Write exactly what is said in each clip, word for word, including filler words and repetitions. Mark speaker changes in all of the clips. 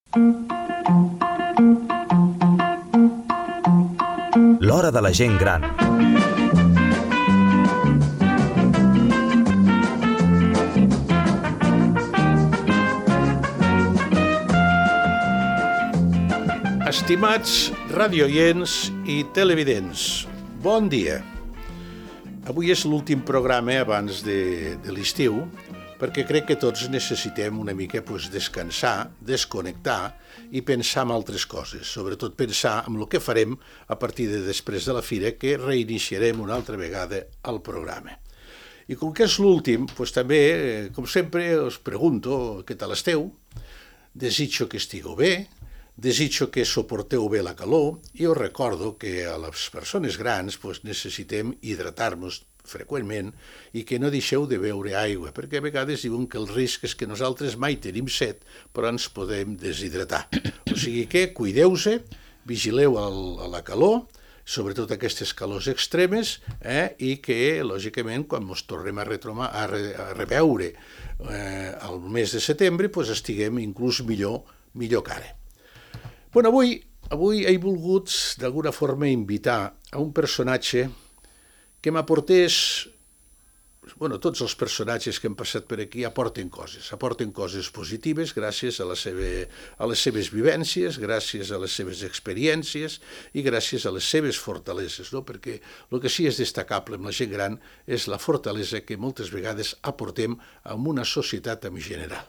Speaker 1: L'hora de la gent gran.
Speaker 2: Estimats radioients i televidents, bon dia. Avui és l'últim programa abans de, de l'estiu, perquè crec que tots necessitem una mica pues, descansar, desconnectar i pensar en altres coses, sobretot pensar en el que farem a partir de després de la fira, que reiniciarem una altra vegada el programa. I com que és l'últim, pues, també, com sempre, us pregunto què tal esteu, desitjo que estigueu bé, desitjo que suporteu bé la calor i us recordo que a les persones grans pues, necessitem hidratar-nos freqüentment i que no deixeu de beure aigua, perquè a vegades diuen que el risc és que nosaltres mai tenim set, però ens podem deshidratar. O sigui que cuideu-se, vigileu el, a la calor, sobretot aquestes calors extremes, eh, i que, lògicament, quan ens tornem a, retromar, a, re, a reveure eh, el mes de setembre, pues, estiguem inclús millor, millor que ara. Bueno, avui, avui he volgut d'alguna forma invitar a un personatge que m'aportés, bueno, tots els personatges que han passat per aquí aporten coses, aporten coses positives gràcies a, la seva, a les seves vivències, gràcies a les seves experiències i gràcies a les seves fortaleses, no? Perquè el que sí és destacable amb la gent gran és la fortalesa que moltes vegades aportem a una societat en general.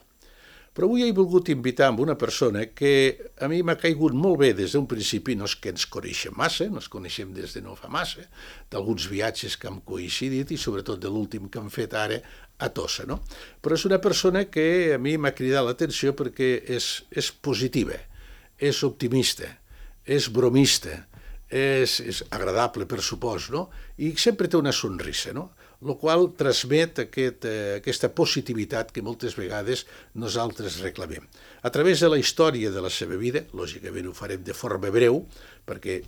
Speaker 2: Però avui he volgut invitar amb una persona que a mi m'ha caigut molt bé des d'un principi, no és que ens coneixem massa, no ens coneixem des de no fa massa, d'alguns viatges que hem coincidit i sobretot de l'últim que hem fet ara a Tossa, no? Però és una persona que a mi m'ha cridat l'atenció perquè és, és positiva, és optimista, és bromista, és, és agradable per supòs, no? I sempre té una sonrisa, no? El qual transmet aquest, eh, aquesta positivitat que moltes vegades nosaltres reclamem. A través de la història de la seva vida, lògicament ho farem de forma breu, perquè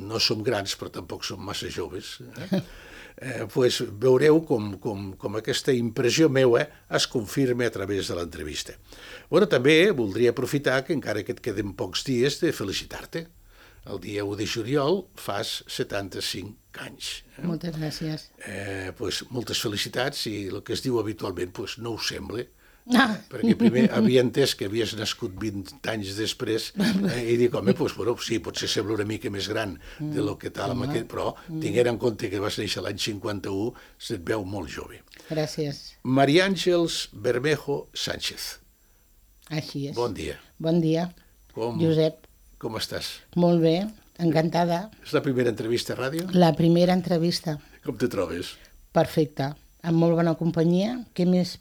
Speaker 2: no som grans però tampoc som massa joves, eh? Eh, pues veureu com, com, com aquesta impressió meua es confirma a través de l'entrevista. Bueno, també voldria aprofitar que encara que et queden pocs dies de felicitar-te. El dia u de juliol fas setanta-cinc anys. Eh?
Speaker 3: Moltes gràcies.
Speaker 2: Eh, pues, moltes felicitats i el que es diu habitualment pues, no ho sembla, ah. eh, perquè primer havia entès que havies nascut vint anys després eh, i dic, home, pues, bueno, sí, potser sembla una mica més gran de lo que tal, mm. aquest, però mm. tinguent en compte que vas néixer l'any cinquanta-u, se't veu molt jove.
Speaker 3: Gràcies.
Speaker 2: Maria Àngels Bermejo Sánchez.
Speaker 3: Així és.
Speaker 2: Bon dia.
Speaker 3: Bon dia,
Speaker 2: Com...
Speaker 3: Josep.
Speaker 2: Com estàs?
Speaker 3: Molt bé, encantada.
Speaker 2: És la primera entrevista a ràdio?
Speaker 3: La primera entrevista.
Speaker 2: Com te trobes?
Speaker 3: Perfecte, amb molt bona companyia. Què més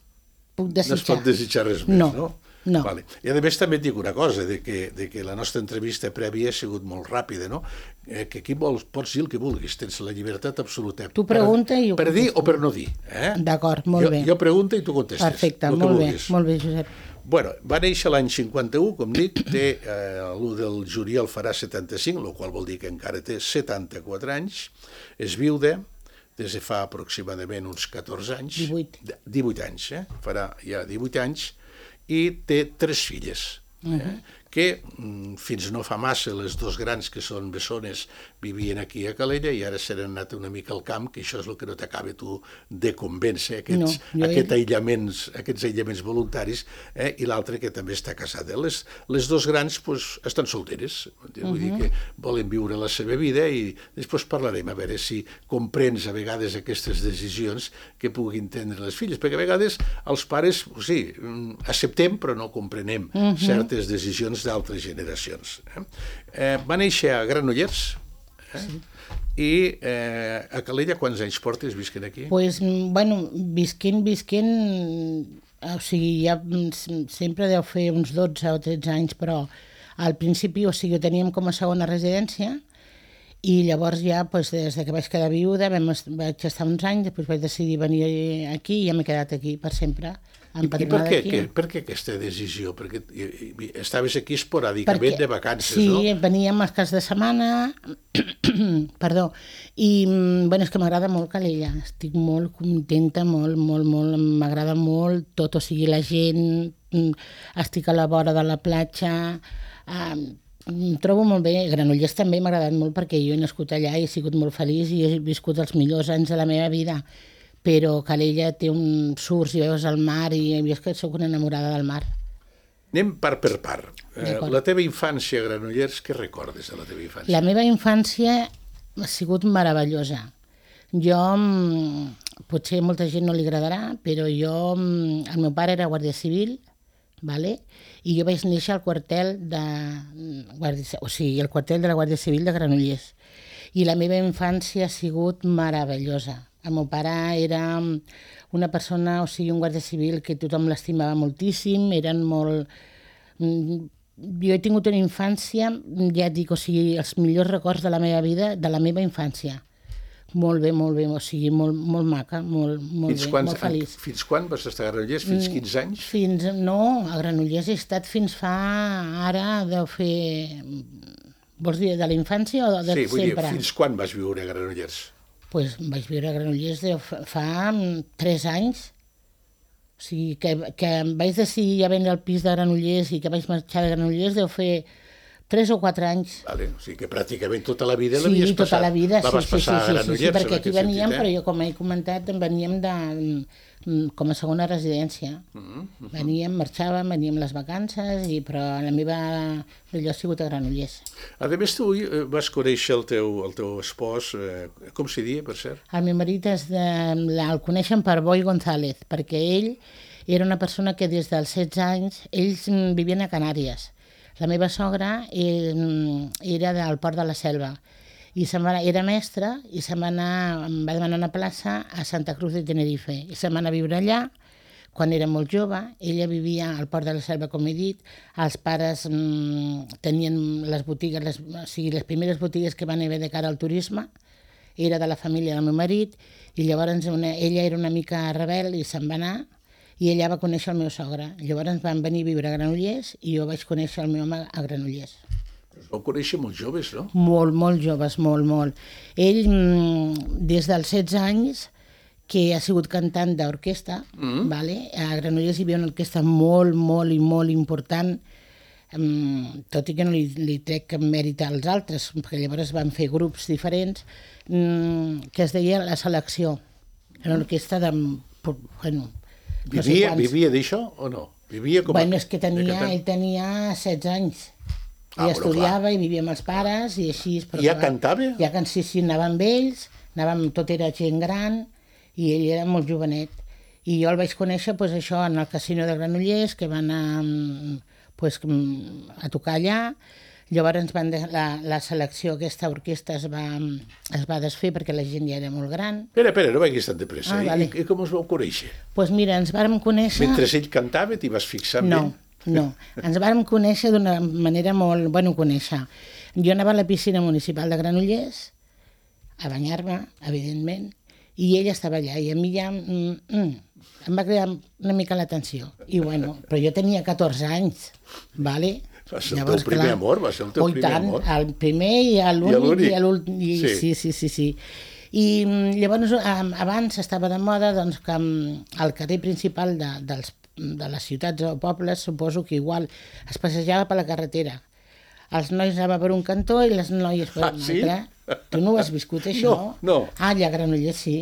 Speaker 3: puc desitjar?
Speaker 2: No es pot desitjar res més,
Speaker 3: no?
Speaker 2: No.
Speaker 3: No.
Speaker 2: Vale. I a més també et dic una cosa, de que, de que la nostra entrevista prèvia ha sigut molt ràpida, no? Eh, que aquí vols, pots dir el que vulguis, tens la llibertat absoluta.
Speaker 3: Tu pregunta
Speaker 2: per,
Speaker 3: i jo
Speaker 2: per dir o per no dir. Eh?
Speaker 3: D'acord, molt
Speaker 2: jo,
Speaker 3: bé.
Speaker 2: Jo pregunto i tu contestes.
Speaker 3: Perfecte, molt bé, molt bé, Josep.
Speaker 2: Bueno, va néixer l'any cinquanta-u, com dic, té eh, l'u del juliol farà setanta-cinc, el qual vol dir que encara té setanta-quatre anys, és viuda, des de fa aproximadament uns catorze anys.
Speaker 3: divuit.
Speaker 2: divuit anys, eh? Farà ja divuit anys, i té tres filles, eh? Uh-huh. que mm, fins no fa massa les dos grans, que són bessones, vivien aquí a Calella i ara s'han anat una mica al camp, que això és el que no t'acaba tu de convèncer, aquests, no, aquest he... aïllaments, aquests aïllaments voluntaris, eh? I l'altre que també està casada. Les, les dos grans pues, estan solteres, vull uh-huh. dir que volen viure la seva vida i després parlarem a veure si comprens a vegades aquestes decisions que puguin prendre les filles, perquè a vegades els pares, sí, acceptem però no comprenem uh-huh. certes decisions d'altres generacions. Eh? Eh, va néixer a Granollers, eh? sí. I eh, a Calella quants anys portes visquent aquí?
Speaker 3: Pues, bueno, visquent, visquent, o sigui, ja sempre deu fer uns dotze o tretze anys, però al principi, o sigui, ho teníem com a segona residència I llavors ja, doncs, des que vaig quedar viuda, vam, vaig estar uns anys, després vaig decidir venir aquí i ja m'he quedat aquí per sempre.
Speaker 2: I, i per, què, que, per què aquesta decisió? Perquè estaves aquí esporàdicament Perquè, de vacances,
Speaker 3: sí,
Speaker 2: no?
Speaker 3: Sí, veníem als caps de setmana, perdó, i bueno, és que m'agrada molt Calella, estic molt contenta, molt, molt, molt, m'agrada molt tot, o sigui, la gent, estic a la vora de la platja, eh, em trobo molt bé. Granollers també m'ha agradat molt perquè jo he nascut allà i he sigut molt feliç i he viscut els millors anys de la meva vida, però Calella té un surts i veus el mar i jo és que soc una enamorada del mar.
Speaker 2: Anem part per part. Eh, la teva infància a Granollers, què recordes de la teva infància?
Speaker 3: La meva infància ha sigut meravellosa. Jo, potser a molta gent no li agradarà, però jo, el meu pare era guàrdia civil, vale? I jo vaig néixer al quartel de guàrdia, o sigui, el quartel de la Guàrdia Civil de Granollers. I la meva infància ha sigut meravellosa. El meu pare era una persona, o sigui, un guàrdia civil que tothom l'estimava moltíssim, eren molt... Jo he tingut una infància, ja et dic, o sigui, els millors records de la meva vida, de la meva infància. Molt bé, molt bé, o sigui, molt, molt maca, molt, molt bé,
Speaker 2: quan,
Speaker 3: molt feliç.
Speaker 2: Fins quan vas estar a Granollers? Fins quinze anys?
Speaker 3: Fins, no, a Granollers he estat fins fa, ara deu fer... Vols dir de la infància o de
Speaker 2: sí, vull
Speaker 3: sempre?
Speaker 2: dir, fins quan vas viure a Granollers?
Speaker 3: Doncs pues vaig viure a Granollers de fa tres anys. O sigui, que, que vaig decidir ja vendre el pis de Granollers i que vaig marxar de Granollers deu fer tres o quatre anys.
Speaker 2: Vale, o sigui que pràcticament tota la vida
Speaker 3: sí,
Speaker 2: l'havies passat.
Speaker 3: Sí, tota la vida,
Speaker 2: la vas
Speaker 3: sí,
Speaker 2: passar
Speaker 3: sí, sí,
Speaker 2: a Granollers,
Speaker 3: sí, sí, perquè aquí veníem,
Speaker 2: sentit, eh?
Speaker 3: però jo, com he comentat, veníem de, com a segona residència. Uh -huh, uh -huh. Veníem, marxàvem, veníem les vacances, i, però la meva allò ha sigut a Granollers.
Speaker 2: A més, tu vas conèixer el teu, el teu espòs, eh, com s'hi dia, per cert?
Speaker 3: El meu marit és de, el coneixen per Boi González, perquè ell era una persona que des dels setze anys, ells vivien a Canàries. La meva sogra era del Port de la Selva i se'n va, era mestra i se'n va anar, em va demanar una plaça a Santa Cruz de Tenerife i se'n va anar a viure allà quan era molt jove. Ella vivia al Port de la Selva, com he dit. Els pares mmm, tenien les botigues, les, o sigui, les primeres botigues que van haver de cara al turisme, era de la família del meu marit, i llavors una, ella era una mica rebel i se'n va anar, i ella va conèixer el meu sogre. Llavors van venir a viure a Granollers i jo vaig conèixer el meu home a Granollers.
Speaker 2: Us vau conèixer molt joves, no?
Speaker 3: Molt, molt joves, molt, molt. Ell, des dels setze anys, que ha sigut cantant d'orquestra, mm-hmm. vale? A Granollers hi havia una orquestra molt, molt i molt important, um, tot i que no li, li trec cap mèrit als altres, perquè llavors van fer grups diferents, um, que es deia La Selecció. Era una orquestra de... Bueno,
Speaker 2: Vivia,
Speaker 3: no sé
Speaker 2: vivia d'això o no? Vivia com
Speaker 3: bueno,
Speaker 2: a...
Speaker 3: és que tenia, ell tenia setze anys.
Speaker 2: Ah,
Speaker 3: ell estudiava clar. I vivia amb els pares i així...
Speaker 2: I ja cantava?
Speaker 3: Ja can... sí, sí, anava amb ells, anàvem, tot era gent gran, i ell era molt jovenet. I jo el vaig conèixer, pues, això, en el casino de Granollers, que va anar pues, a tocar allà. Llavors van de... la, la selecció, aquesta orquestra es va, es va desfer perquè la gent ja era molt gran.
Speaker 2: Espera, espera, no vagis tan de pressa.
Speaker 3: Ah, vale.
Speaker 2: I, I com us vau conèixer?
Speaker 3: Doncs pues mira, ens vàrem conèixer...
Speaker 2: Mentre ell cantava, t'hi vas fixar en
Speaker 3: no,
Speaker 2: ell?
Speaker 3: No, ens vàrem conèixer d'una manera molt... Bueno, conèixer. Jo anava a la piscina municipal de Granollers a banyar-me, evidentment, i ell estava allà, i a mi ja mm, mm, em va cridar una mica l'atenció. I bueno, però jo tenia catorze anys, vale?
Speaker 2: Va ser el teu primer amor, va ser el teu
Speaker 3: oh,
Speaker 2: primer
Speaker 3: tant,
Speaker 2: amor.
Speaker 3: El primer i l'únic. I l'últim.
Speaker 2: Sí.
Speaker 3: sí, sí, sí, sí. I llavors, abans estava de moda doncs, que al carrer principal de, dels, de les ciutats o pobles, suposo que igual es passejava per la carretera. Els nois anaven per un cantó i les noies per un
Speaker 2: ah,
Speaker 3: altre. Sí? Tu no ho has viscut, això?
Speaker 2: No, no.
Speaker 3: Ah, allà a Granollers, sí.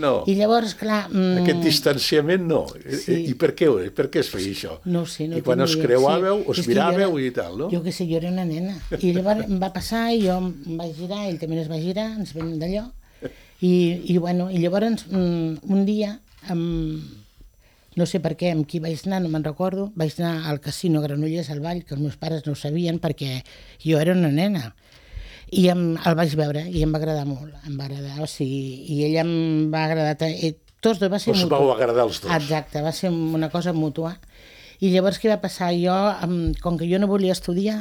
Speaker 2: No.
Speaker 3: I llavors, clar... Mm,
Speaker 2: Aquest distanciament, no.
Speaker 3: Sí.
Speaker 2: I per què, per què es feia això?
Speaker 3: No ho sé. No
Speaker 2: I quan us creuàveu,
Speaker 3: sí.
Speaker 2: us miràveu i tal, no?
Speaker 3: Jo què sé, jo era una nena. I llavors em va passar i jo em vaig girar, ell també es va girar, ens vam d'allò. I, i, bueno, i llavors, mm, un dia... Um, no sé per què, amb qui vaig anar, no me'n recordo, vaig anar al casino Granollers, al ball, que els meus pares no ho sabien perquè jo era una nena. I em, el vaig veure i em va agradar molt, em va agradar, o sigui, i ell em va agradar, eh, tots dos va ser
Speaker 2: mutu. Us vau agradar els dos.
Speaker 3: Exacte, va ser una cosa mútua. I llavors què va passar? Jo, com que jo no volia estudiar,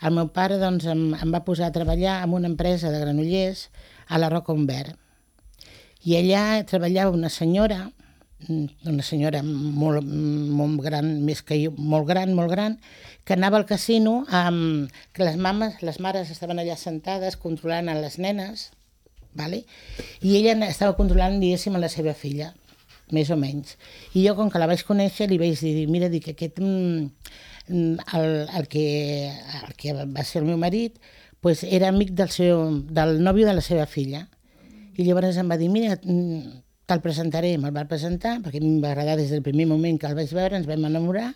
Speaker 3: el meu pare doncs, em, em va posar a treballar en una empresa de Granollers a la Roca Humbert. I allà treballava una senyora, una senyora molt, molt gran, més que jo, molt gran, molt gran, que anava al casino amb... que les mames, les mares estaven allà sentades controlant a les nenes, vale? I ella estava controlant, diguéssim, a la seva filla, més o menys. I jo, com que la vaig conèixer, li vaig dir, mira, dic, aquest... El, el, que, el que va ser el meu marit pues era amic del, seu, del nòvio de la seva filla. I llavors em va dir, mira, te'l presentaré. Me'l va presentar, perquè a mi em va agradar des del primer moment que el vaig veure, ens vam enamorar,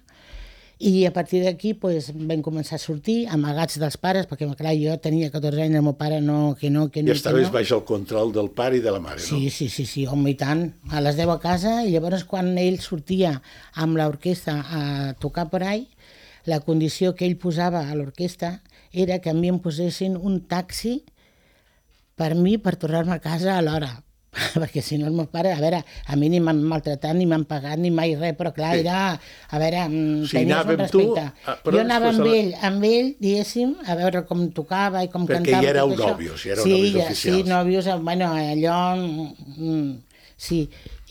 Speaker 3: i a partir d'aquí pues, vam començar a sortir, amagats dels pares, perquè clar, jo tenia catorze anys, el meu pare no, que no, que no.
Speaker 2: I estaves
Speaker 3: no.
Speaker 2: baix el control del pare i de la mare, no?
Speaker 3: Sí, sí, sí, sí, home, i tant. A les deu a casa, i llavors quan ell sortia amb l'orquestra a tocar per ahí, la condició que ell posava a l'orquestra era que a mi em posessin un taxi per mi per tornar-me a casa a l'hora. Perquè si no el meu pare, a veure, a mi ni m'han maltratat, ni m'han pagat, ni mai res, però clar,
Speaker 2: sí.
Speaker 3: era, a veure,
Speaker 2: si
Speaker 3: tenies un respecte.
Speaker 2: Tu,
Speaker 3: jo anava amb ell, amb ell, diguéssim, a veure com tocava i com
Speaker 2: perquè
Speaker 3: cantava.
Speaker 2: Perquè ja éreu
Speaker 3: això.
Speaker 2: nòvios, ja éreu
Speaker 3: sí,
Speaker 2: nòvios
Speaker 3: ja,
Speaker 2: oficials.
Speaker 3: Sí, nòvios, bueno, allò... Mm, sí,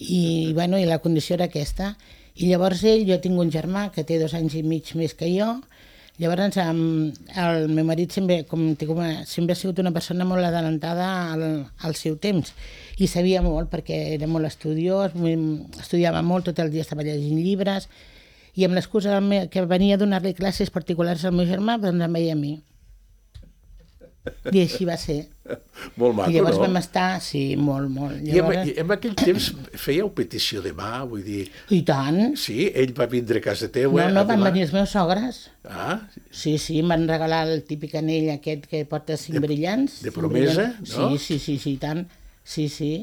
Speaker 3: i, bueno, i la condició era aquesta. I llavors ell, jo tinc un germà que té dos anys i mig més que jo, llavors el meu marit sempre, com, sempre ha sigut una persona molt adelantada al, al seu temps i sabia molt perquè era molt estudiós, estudiava molt, tot el dia estava llegint llibres i amb l'excusa que venia a donar-li classes particulars al meu germà, doncs em veia a mi. I així va ser.
Speaker 2: Molt maco,
Speaker 3: I llavors
Speaker 2: no?
Speaker 3: vam estar, sí, molt, molt.
Speaker 2: Llavors... I en, en aquell temps fèieu petició de mà, vull dir...
Speaker 3: I tant.
Speaker 2: Sí, ell va vindre a casa teu.
Speaker 3: No,
Speaker 2: eh,
Speaker 3: no, van
Speaker 2: demà.
Speaker 3: venir els meus sogres.
Speaker 2: Ah.
Speaker 3: Sí, sí, em van regalar el típic anell aquest que porta cinc
Speaker 2: de,
Speaker 3: brillants.
Speaker 2: De promesa,
Speaker 3: brillants.
Speaker 2: no?
Speaker 3: Sí, sí, sí, sí, i tant. Sí, sí.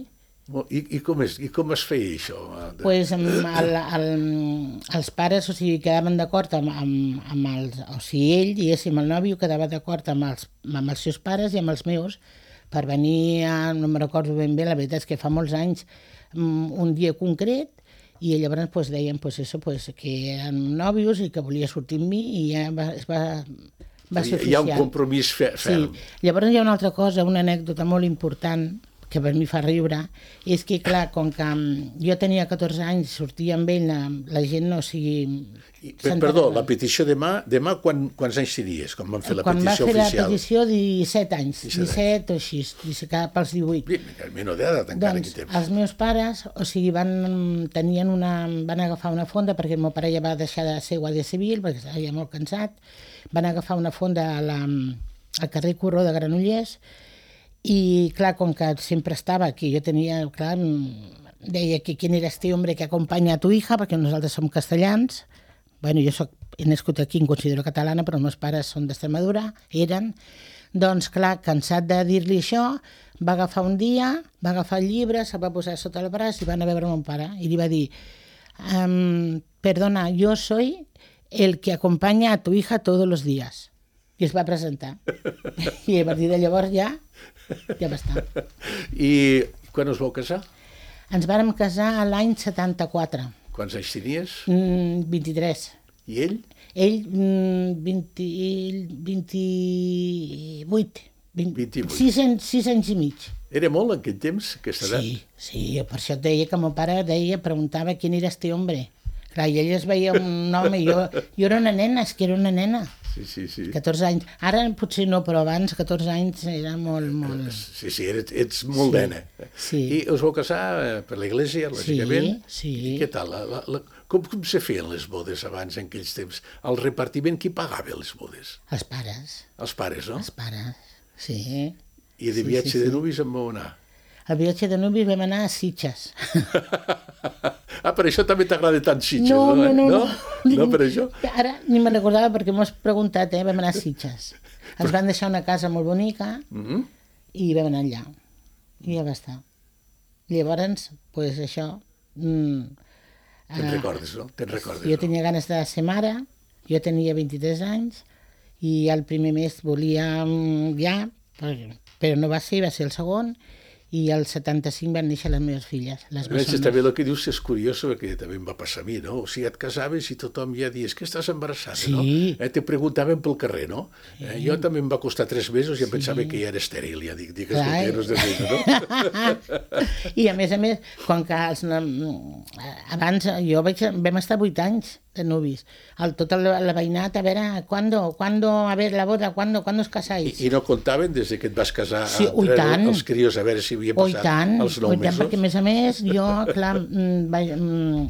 Speaker 2: I, i, com es, I com es feia això?
Speaker 3: Doncs pues, el, el, els pares, o sigui, quedaven d'acord amb, amb, amb els... O sigui, ell, diguéssim, el nòvio quedava d'acord amb, els, amb els seus pares i amb els meus per venir a... No me'n recordo ben bé, la veritat és que fa molts anys, un dia concret, i llavors pues, deien pues, eso, pues, que eren nòvios i que volia sortir amb mi i ja va, es va, va ser oficial.
Speaker 2: Hi ha un compromís ferm.
Speaker 3: Sí. Llavors hi ha una altra cosa, una anècdota molt important, que per mi fa riure, és que, clar, com que jo tenia catorze anys, sortia amb ell, la, la gent no, o sigui...
Speaker 2: I, perdó, la petició de mà, de mà quan, quants anys tenies, quan van fer la
Speaker 3: quan
Speaker 2: petició oficial?
Speaker 3: Quan va fer la petició, disset anys,
Speaker 2: disset,
Speaker 3: disset o així, cap pels divuit.
Speaker 2: El menor d'edat encara
Speaker 3: doncs,
Speaker 2: aquí temps.
Speaker 3: Els meus pares, o sigui, van, tenien una, van agafar una fonda, perquè el meu pare ja va deixar de ser guàrdia civil, perquè estava ja molt cansat, van agafar una fonda a la, al carrer Corró de Granollers, i clar, com que sempre estava aquí, jo tenia, clar, deia que quin era este hombre que acompanya a tu hija, perquè nosaltres som castellans, bueno, jo soc, he nascut aquí, em considero catalana, però els meus pares són d'Extremadura, eren, doncs clar, cansat de dir-li això, va agafar un dia, va agafar el llibre, se'l va posar sota el braç i va anar a veure mon pare, i li va dir, um, perdona, yo soy el que acompaña a tu hija todos los días. I es va presentar. I a partir de llavors ja, ja va estar.
Speaker 2: I quan us vau casar?
Speaker 3: Ens vàrem casar l'any setanta-quatre.
Speaker 2: Quants anys tenies?
Speaker 3: Mm, vint-i-tres.
Speaker 2: I ell?
Speaker 3: Ell, mm, vint, vint-i-vuit. vint,
Speaker 2: vint-i-vuit.
Speaker 3: Sis, sis anys i mig.
Speaker 2: Era molt en aquell temps, aquesta edat?
Speaker 3: Sí, sí, per això et deia que mon pare deia, preguntava quin era este hombre. Clar, i ell es veia un home, i jo, jo era una nena, és que era una nena.
Speaker 2: Sí, sí, sí.
Speaker 3: catorze anys. Ara potser no, però abans, catorze anys, era molt, molt...
Speaker 2: Sí, sí, ets, ets molt
Speaker 3: sí,
Speaker 2: nena.
Speaker 3: Sí.
Speaker 2: I us vau casar per l'església, lògicament?
Speaker 3: Sí, sí.
Speaker 2: I què tal? La, la, la, com, com se feien les bodes abans, en aquells temps? El repartiment, qui pagava les bodes?
Speaker 3: Els pares.
Speaker 2: Els pares, no?
Speaker 3: Els pares, sí.
Speaker 2: I de
Speaker 3: sí,
Speaker 2: viatge
Speaker 3: sí,
Speaker 2: de
Speaker 3: sí.
Speaker 2: nuvis en vau anar?
Speaker 3: El viatge de nuvis vam anar a Sitges.
Speaker 2: Ah, per això també t'agrada tant Sitges,
Speaker 3: no?
Speaker 2: No,
Speaker 3: no, no.
Speaker 2: No, no per això?
Speaker 3: Ara ni me'n recordava perquè m'ho has preguntat, eh? Vam anar a Sitges. Ens van deixar una casa molt bonica
Speaker 2: mm-hmm.
Speaker 3: i vam anar allà. I ja va estar. Llavors, doncs, pues, això... Mm,
Speaker 2: Te'n
Speaker 3: eh,
Speaker 2: recordes, no? Te'n recordes,
Speaker 3: jo
Speaker 2: no?
Speaker 3: tenia ganes de ser mare, jo tenia vint-i-tres anys i el primer mes volia mm, ja, però no va ser, va ser el segon, i al setanta-cinc van néixer les meves filles, les
Speaker 2: A més,
Speaker 3: bessones.
Speaker 2: també el que dius és curiós, perquè també em va passar a mi, no? O sigui, et casaves i tothom ja dies que estàs embarassada,
Speaker 3: Sí.
Speaker 2: no? Eh, te preguntaven pel carrer, no? Eh, jo també em va costar tres mesos i em pensava que ja era estèril, ja dic, digues
Speaker 3: Clar.
Speaker 2: solteros de vida, no?
Speaker 3: I a més a més, com que els, abans jo vaig, vam estar vuit anys de nuvis, el, tota la, la veïnat, a veure, ¿cuándo, cuándo, a ver, la boda, ¿cuándo, ¿cuándo os casáis?
Speaker 2: I, I no comptaven des de que et vas casar
Speaker 3: Sí,
Speaker 2: a
Speaker 3: ui,
Speaker 2: treure
Speaker 3: tant.
Speaker 2: els crios a veure si havia
Speaker 3: Oh, i
Speaker 2: passat
Speaker 3: tant,
Speaker 2: els nou
Speaker 3: oh, i tant,
Speaker 2: mesos?
Speaker 3: perquè a més a més jo, clar, mm, vaig, mm,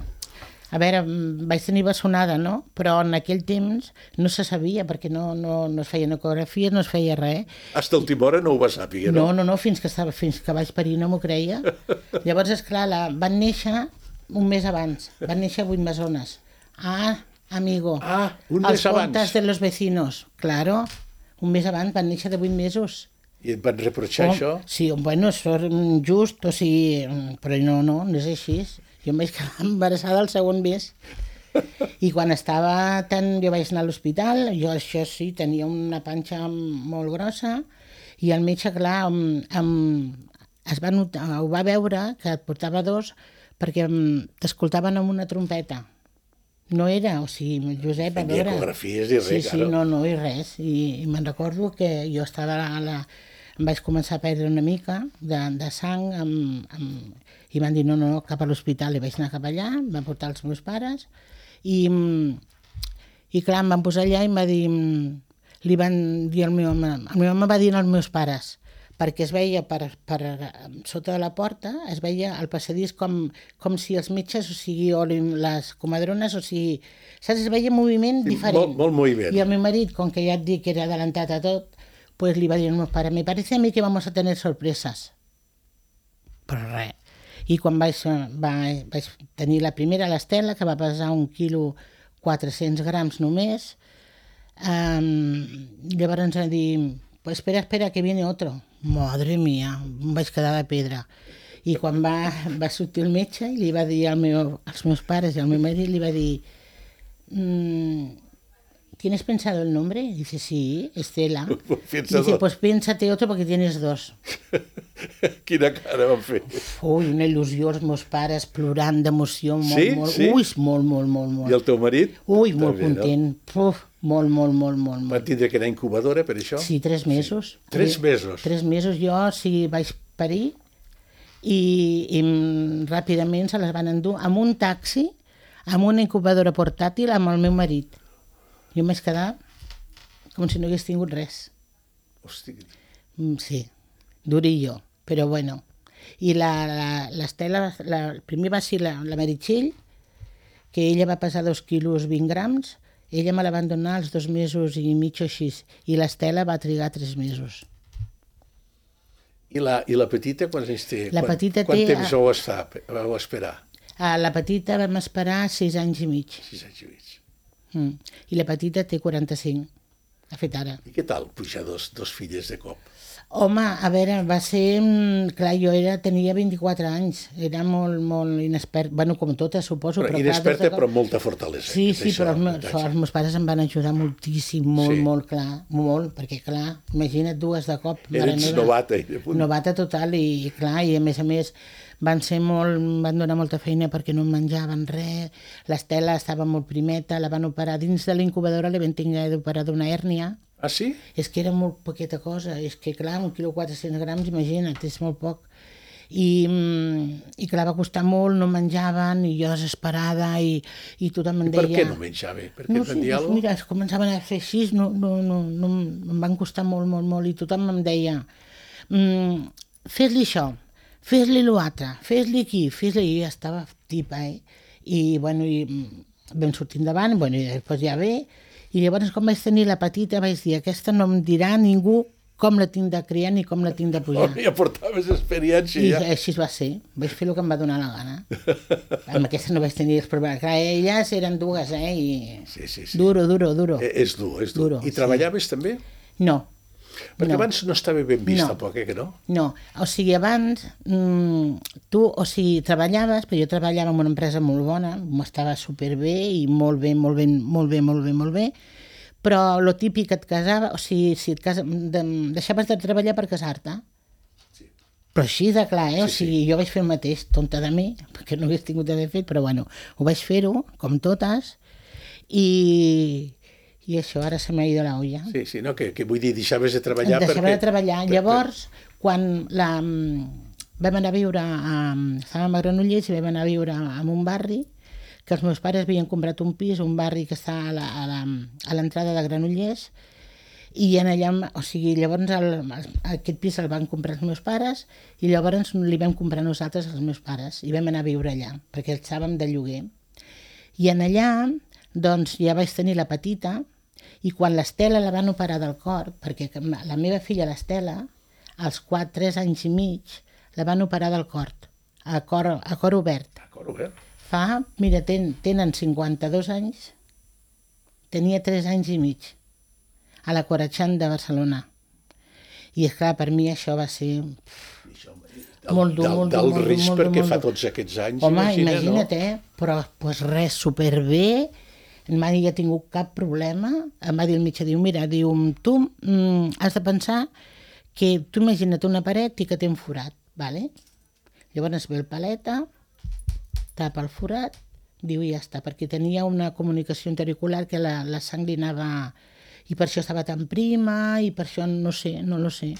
Speaker 3: a veure, mm, vaig tenir bessonada, no? Però en aquell temps no se sabia, perquè no, no, no es feien ecografies, no es feia res.
Speaker 2: Hasta última hora no ho vas sàpiga,
Speaker 3: No,
Speaker 2: no?
Speaker 3: no, no, fins que, estava, fins que vaig parir no m'ho creia. Llavors, esclar, la, van néixer un mes abans, van néixer vuit bessones. Ah, amigo,
Speaker 2: Ah, un
Speaker 3: els
Speaker 2: mes abans.
Speaker 3: contes de los vecinos, claro, un mes abans van néixer de vuit mesos.
Speaker 2: I et van reprochar
Speaker 3: Oh,
Speaker 2: això?
Speaker 3: sí, bueno, això és just, o sigui, però no, no, no és així. Jo em vaig quedar embarassada el segon mes. I quan estava tan... Jo vaig anar a l'hospital, jo això sí, tenia una panxa molt grossa, i el metge, clar, em, em, es va notar, ho va veure, que et portava dos, perquè em, t'escoltaven amb una trompeta. No era, o sigui, Josep, a
Speaker 2: Ni
Speaker 3: veure...
Speaker 2: ecografies ni res,
Speaker 3: sí, sí,
Speaker 2: claro.
Speaker 3: no, no, i res. I, i me'n recordo que jo estava a la... Em vaig començar a perdre una mica de, de sang amb, amb, i van dir no, no, no, cap a l'hospital. I vaig anar cap allà, em van portar els meus pares i, i clar, em van posar allà i em va dir, li van dir al meu home, el meu home va dir als meus pares, perquè es veia per, per sota de la porta, es veia el passadís com, com si els metges, o sigui, o les comadrones, o sigui, saps? Es veia moviment
Speaker 2: Sí,
Speaker 3: diferent.
Speaker 2: molt- molt moviment.
Speaker 3: I el meu marit, com que ja et dic que era adelantat a tot, pues li va dir als meus pares, me parece a mí que vamos a tener sorpresas. Però res. I quan vaig, vaig, vaig tenir la primera, l'Estela, que va pesar un quilo quatre-cents grams només, um, llavors ens va dir, pues espera, espera, que viene otro. Madre mía, em vaig quedar de pedra. I quan va, va sortir el metge i li va dir al meu, als meus pares i al meu marit, li va dir, mm, ¿tienes pensado el nombre? Dice, sí, Estela.
Speaker 2: Piensa
Speaker 3: Dice,
Speaker 2: dos.
Speaker 3: pues piénsate otro porque tienes dos.
Speaker 2: Quina cara van fer.
Speaker 3: Ui, una il·lusió, els meus pares plorant d'emoció, molt,
Speaker 2: Sí?
Speaker 3: molt,
Speaker 2: Sí?
Speaker 3: ui, molt, molt, molt, molt.
Speaker 2: I el teu marit?
Speaker 3: Ui, molt
Speaker 2: També, no?
Speaker 3: content, Puf, molt, molt, molt, molt,
Speaker 2: Van
Speaker 3: molt.
Speaker 2: tindre que anar a incubadora per això?
Speaker 3: Sí, tres mesos.
Speaker 2: Tres
Speaker 3: Sí,
Speaker 2: mesos?
Speaker 3: Tres mesos jo, sí, vaig parir i, i mm, ràpidament se les van endur amb un taxi, amb una incubadora portàtil, amb el meu marit. Jo em vaig quedar com si no hagués tingut res.
Speaker 2: Hosti,
Speaker 3: Mm, Sí, durillo, però bueno. I l'Estela, la, la, el primer va ser la, la Meritxell, que ella va pesar dos quilos vint grams, ella me la van donar als dos mesos i mig o així, i l'Estela va trigar tres mesos.
Speaker 2: I la, I la petita, quants anys té?
Speaker 3: La
Speaker 2: Quan-
Speaker 3: petita
Speaker 2: quant
Speaker 3: té-
Speaker 2: temps vau estar, vau esperar?
Speaker 3: A la petita vam esperar sis anys i mig,
Speaker 2: Sis anys i mig.
Speaker 3: mm. i la petita té quaranta-cinc, ha fet ara.
Speaker 2: I què tal pujar dos, dos filles de cop?
Speaker 3: Home, a veure, va ser... mm, Clar, jo era, tenia vint-i-quatre anys, era molt, molt inexpert, bueno, com totes, suposo.
Speaker 2: Però
Speaker 3: Però, clar,
Speaker 2: inexperta,
Speaker 3: des de...
Speaker 2: però amb molta fortalesa.
Speaker 3: Sí,
Speaker 2: és
Speaker 3: sí,
Speaker 2: això,
Speaker 3: però els meus,
Speaker 2: avantatge.
Speaker 3: els meus pares em van ajudar moltíssim, molt,
Speaker 2: Sí.
Speaker 3: molt, clar, molt, perquè, clar, imagina't dues de cop. mare
Speaker 2: Eres
Speaker 3: meva.
Speaker 2: novata. I de punt.
Speaker 3: Novata total, i, i clar, i a més a més van ser molt, em van donar molta feina perquè no menjaven res, l'Estela estava molt primeta, la van operar dins de l'incubadora, li van tenir d'operar d'una hèrnia.
Speaker 2: Ah, sí?
Speaker 3: És que era molt poqueta cosa, és que clar, un quilo quatre-cents grams, imagina't, és molt poc. I, mm, i clar, va costar molt, no menjaven, i jo desesperada, i, i tothom em
Speaker 2: Per
Speaker 3: deia...
Speaker 2: què no menjava? Perquè
Speaker 3: No
Speaker 2: et
Speaker 3: sé,
Speaker 2: van dir
Speaker 3: doncs
Speaker 2: alguna
Speaker 3: mira, es començaven a fer així, no, no, no, no, em van costar molt, molt, molt, i tothom em deia, mm, fes-li això, fes-li l'altre, fes-li aquí, fes-li... I ja estava tipa, eh? I, bueno, i mm, vam sortir endavant, bueno, i després ja ve, i llavors quan vaig tenir la petita vaig dir, aquesta no em dirà ningú com la tinc de criar ni com la tinc de pujar.
Speaker 2: Oh, ja portaves experiència,
Speaker 3: I
Speaker 2: ja.
Speaker 3: així va ser, vaig fer el que em va donar la gana. Amb aquesta no vaig tenir els problemes. Clar, elles eren dues, eh? I...
Speaker 2: Sí, sí, sí.
Speaker 3: Duro, duro, duro.
Speaker 2: Eh, És dur, és dur.
Speaker 3: Duro,
Speaker 2: I
Speaker 3: sí.
Speaker 2: treballaves també?
Speaker 3: No,
Speaker 2: Perquè
Speaker 3: No.
Speaker 2: abans no estava ben vist,
Speaker 3: No.
Speaker 2: tampoc, eh, que no?
Speaker 3: no. O sigui, abans mm, tu, o sigui, treballaves, però jo treballava en una empresa molt bona, m'estava superbé i molt bé, molt bé, molt bé, molt bé, molt bé, però lo típic et casava, o sigui, si et casa, de, deixaves de treballar per casar-te.
Speaker 2: Sí.
Speaker 3: Però així de clar, eh? O
Speaker 2: Sí,
Speaker 3: sigui, jo vaig fer el mateix, tonta de mi, perquè no hagués tingut d'haver fet, però bueno, ho vaig fer-ho, com totes, i, i això, ara se m'ha ido la olla.
Speaker 2: Sí, sí, no, que, que vull dir, deixaves de treballar
Speaker 3: Deixava
Speaker 2: perquè...
Speaker 3: de treballar.
Speaker 2: per-
Speaker 3: Llavors, quan la, vam anar a viure, a, estàvem a Granollers i vam anar a viure en un barri que els meus pares havien comprat un pis, un barri que està a la- a la- a l'entrada de Granollers, i en allà, o sigui, llavors el, aquest pis el van comprar els meus pares i llavors li vam comprar nosaltres als meus pares i vam anar a viure allà, perquè estàvem de lloguer. I en allà, doncs, ja vaig tenir la petita i quan l'Estela la van operar del cor, perquè la meva filla l'Estela, als quatre, tres anys i mig, la van operar del cor, a cor, a cor obert.
Speaker 2: D'acord, obert.
Speaker 3: Fa, mira, ten, tenen cinquanta-dos anys, tenia tres anys i mig, a la Corachán de Barcelona. I és clar, per mi això va ser
Speaker 2: Això,
Speaker 3: molt dur, molt dur,
Speaker 2: Del
Speaker 3: molt dur,
Speaker 2: risc
Speaker 3: molt dur,
Speaker 2: perquè
Speaker 3: molt
Speaker 2: fa
Speaker 3: dur.
Speaker 2: tots aquests anys,
Speaker 3: Home,
Speaker 2: imagina,
Speaker 3: imagina't,
Speaker 2: no?
Speaker 3: eh? Però pues res, superbé, mai ha tingut cap problema. Em va dir el metge, diu, mira, diu, tu mm, has de pensar que tu imagina't una paret i que té un forat, ¿vale? Llavors ve el paleta, tapa el forat, diu, i ja està, perquè tenia una comunicació intericular que la, la sang li anava... I per això estava tan prima, i per això no sé, no lo sé.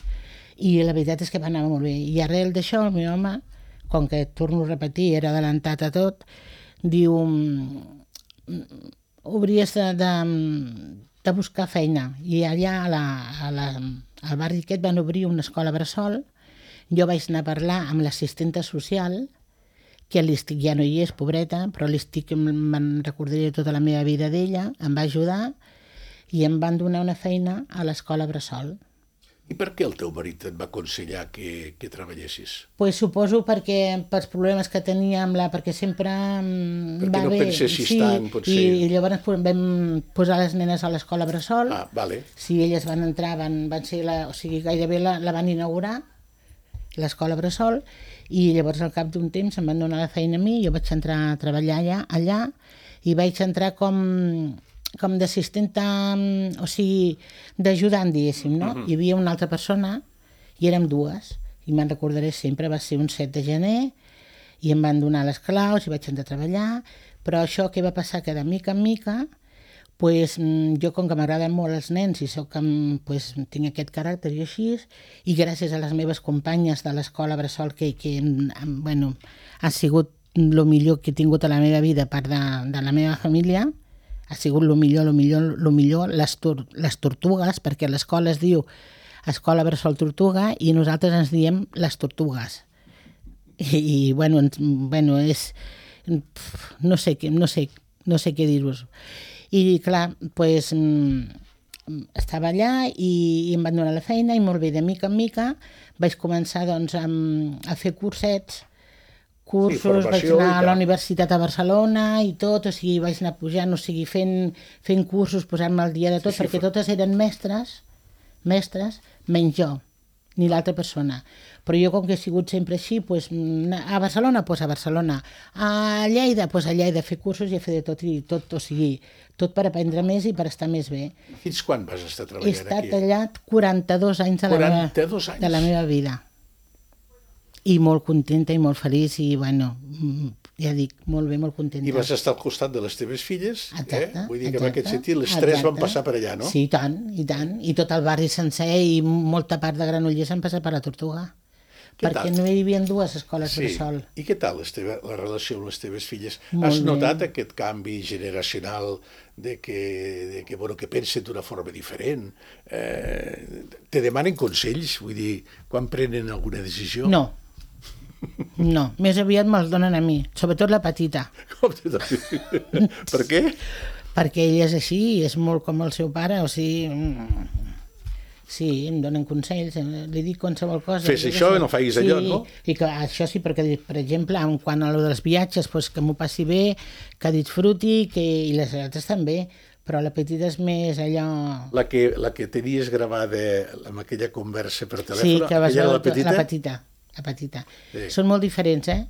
Speaker 3: I la veritat és que va anar molt bé. I arrel d'això, el meu home, com que, torno a repetir, era adelantat a tot, diu, obries de, de, de buscar feina. I allà a la, a la, al barri aquest van obrir una escola bressol. Jo vaig anar a parlar amb l'assistenta social, que l'Estic ja no hi és, pobreta, però l'Estic me'n recordaré tota la meva vida d'ella, em va ajudar i em van donar una feina a l'escola bressol.
Speaker 2: I per què el teu marit et va aconsellar que, que treballessis?
Speaker 3: Pues suposo perquè pels problemes que tenia amb la... perquè sempre mm,
Speaker 2: Perquè
Speaker 3: va
Speaker 2: no
Speaker 3: bé.
Speaker 2: pensessis
Speaker 3: sí,
Speaker 2: tant, potser.
Speaker 3: I, i llavors pues, vam posar les nenes a l'escola bressol.
Speaker 2: Ah, vale.
Speaker 3: Si elles van entrar, van, van ser la, o sigui, gairebé la, la van inaugurar, l'escola bressol, i llavors al cap d'un temps em van donar la feina a mi, jo vaig entrar a treballar allà, allà i vaig entrar com, com d'assistenta, o sigui, d'ajudant, diguéssim, no? Uh-huh. Hi havia una altra persona, i érem dues, i me'n recordaré sempre, va ser un set de gener, i em van donar les claus, i vaig entrar a treballar, però això què va passar? Que de mica en mica, pues, jo com que m'agraden molt els nens i soc, pues, tinc aquest caràcter i així, i gràcies a les meves companyes de l'escola bressol que, que bueno, ha sigut el millor que he tingut a la meva vida, part de, de la meva família, ha sigut el millor, el millor, el millor, les, tor les tortugues, perquè l'escola es diu Escola Bressol Tortuga i nosaltres ens diem les tortugues. I, i bueno, ens, bueno, és... no sé, no sé, no sé què dir-vos. I clar, pues, estava allà i, i em van donar la feina i molt bé, de mica en mica vaig començar doncs, a, a fer cursets, cursos, sí, vaig anar a la Universitat a Barcelona i tot, o sigui, vaig anar pujant, o sigui, fent, fent cursos, posant-me al dia de tot, sí, sí, perquè totes eren mestres, mestres, menys jo, ni l'altra persona. Però jo, com que he sigut sempre així, pues, a Barcelona, pues a Barcelona, a Lleida, pues a Lleida, fer cursos i a fer de tot, i tot, o sigui, tot per aprendre més i per estar més bé.
Speaker 2: Fins quan vas estar treballant aquí?
Speaker 3: He estat allà quaranta-dos anys de la,
Speaker 2: quaranta-dos anys.
Speaker 3: de la meva vida. I molt contenta i molt feliç i, bueno, ja dic, molt bé, molt contenta.
Speaker 2: I vas estar al costat de les teves filles,
Speaker 3: exacte,
Speaker 2: eh? Vull dir que
Speaker 3: exacte,
Speaker 2: en aquest sentit les
Speaker 3: exacte.
Speaker 2: tres van passar per allà, no?
Speaker 3: Sí, i tant, i tant. I tot el barri sencer i molta part de Granollers han passat per la Tortuga. Què perquè tal? No hi havia dues escoles
Speaker 2: sí.
Speaker 3: bressol.
Speaker 2: I què tal la, teva, la relació amb les teves filles?
Speaker 3: Molt
Speaker 2: Has notat
Speaker 3: bé.
Speaker 2: aquest canvi generacional de que, de que, bueno, que pensen d'una forma diferent? Eh, te demanen consells? Vull dir, quan prenen alguna decisió?
Speaker 3: No. No, més aviat me'ls donen a mi, sobretot la petita.
Speaker 2: Com te donen? Per què?
Speaker 3: Perquè ella és així, és molt com el seu pare, o sigui... Sí, em donen consells, li dic qualsevol cosa.
Speaker 2: Fes això i no facis allò,
Speaker 3: sí,
Speaker 2: no?
Speaker 3: I que això sí, perquè, per exemple, en quant a lo dels viatges, pues, que m'ho passi bé, que disfruti, que... i les altres també, però la petita és més allò...
Speaker 2: La que, la que tenies gravada amb aquella conversa per telèfon,
Speaker 3: sí, que vas
Speaker 2: aquella
Speaker 3: veure
Speaker 2: la petita?
Speaker 3: La petita, la petita.
Speaker 2: Sí.
Speaker 3: Són molt diferents, eh?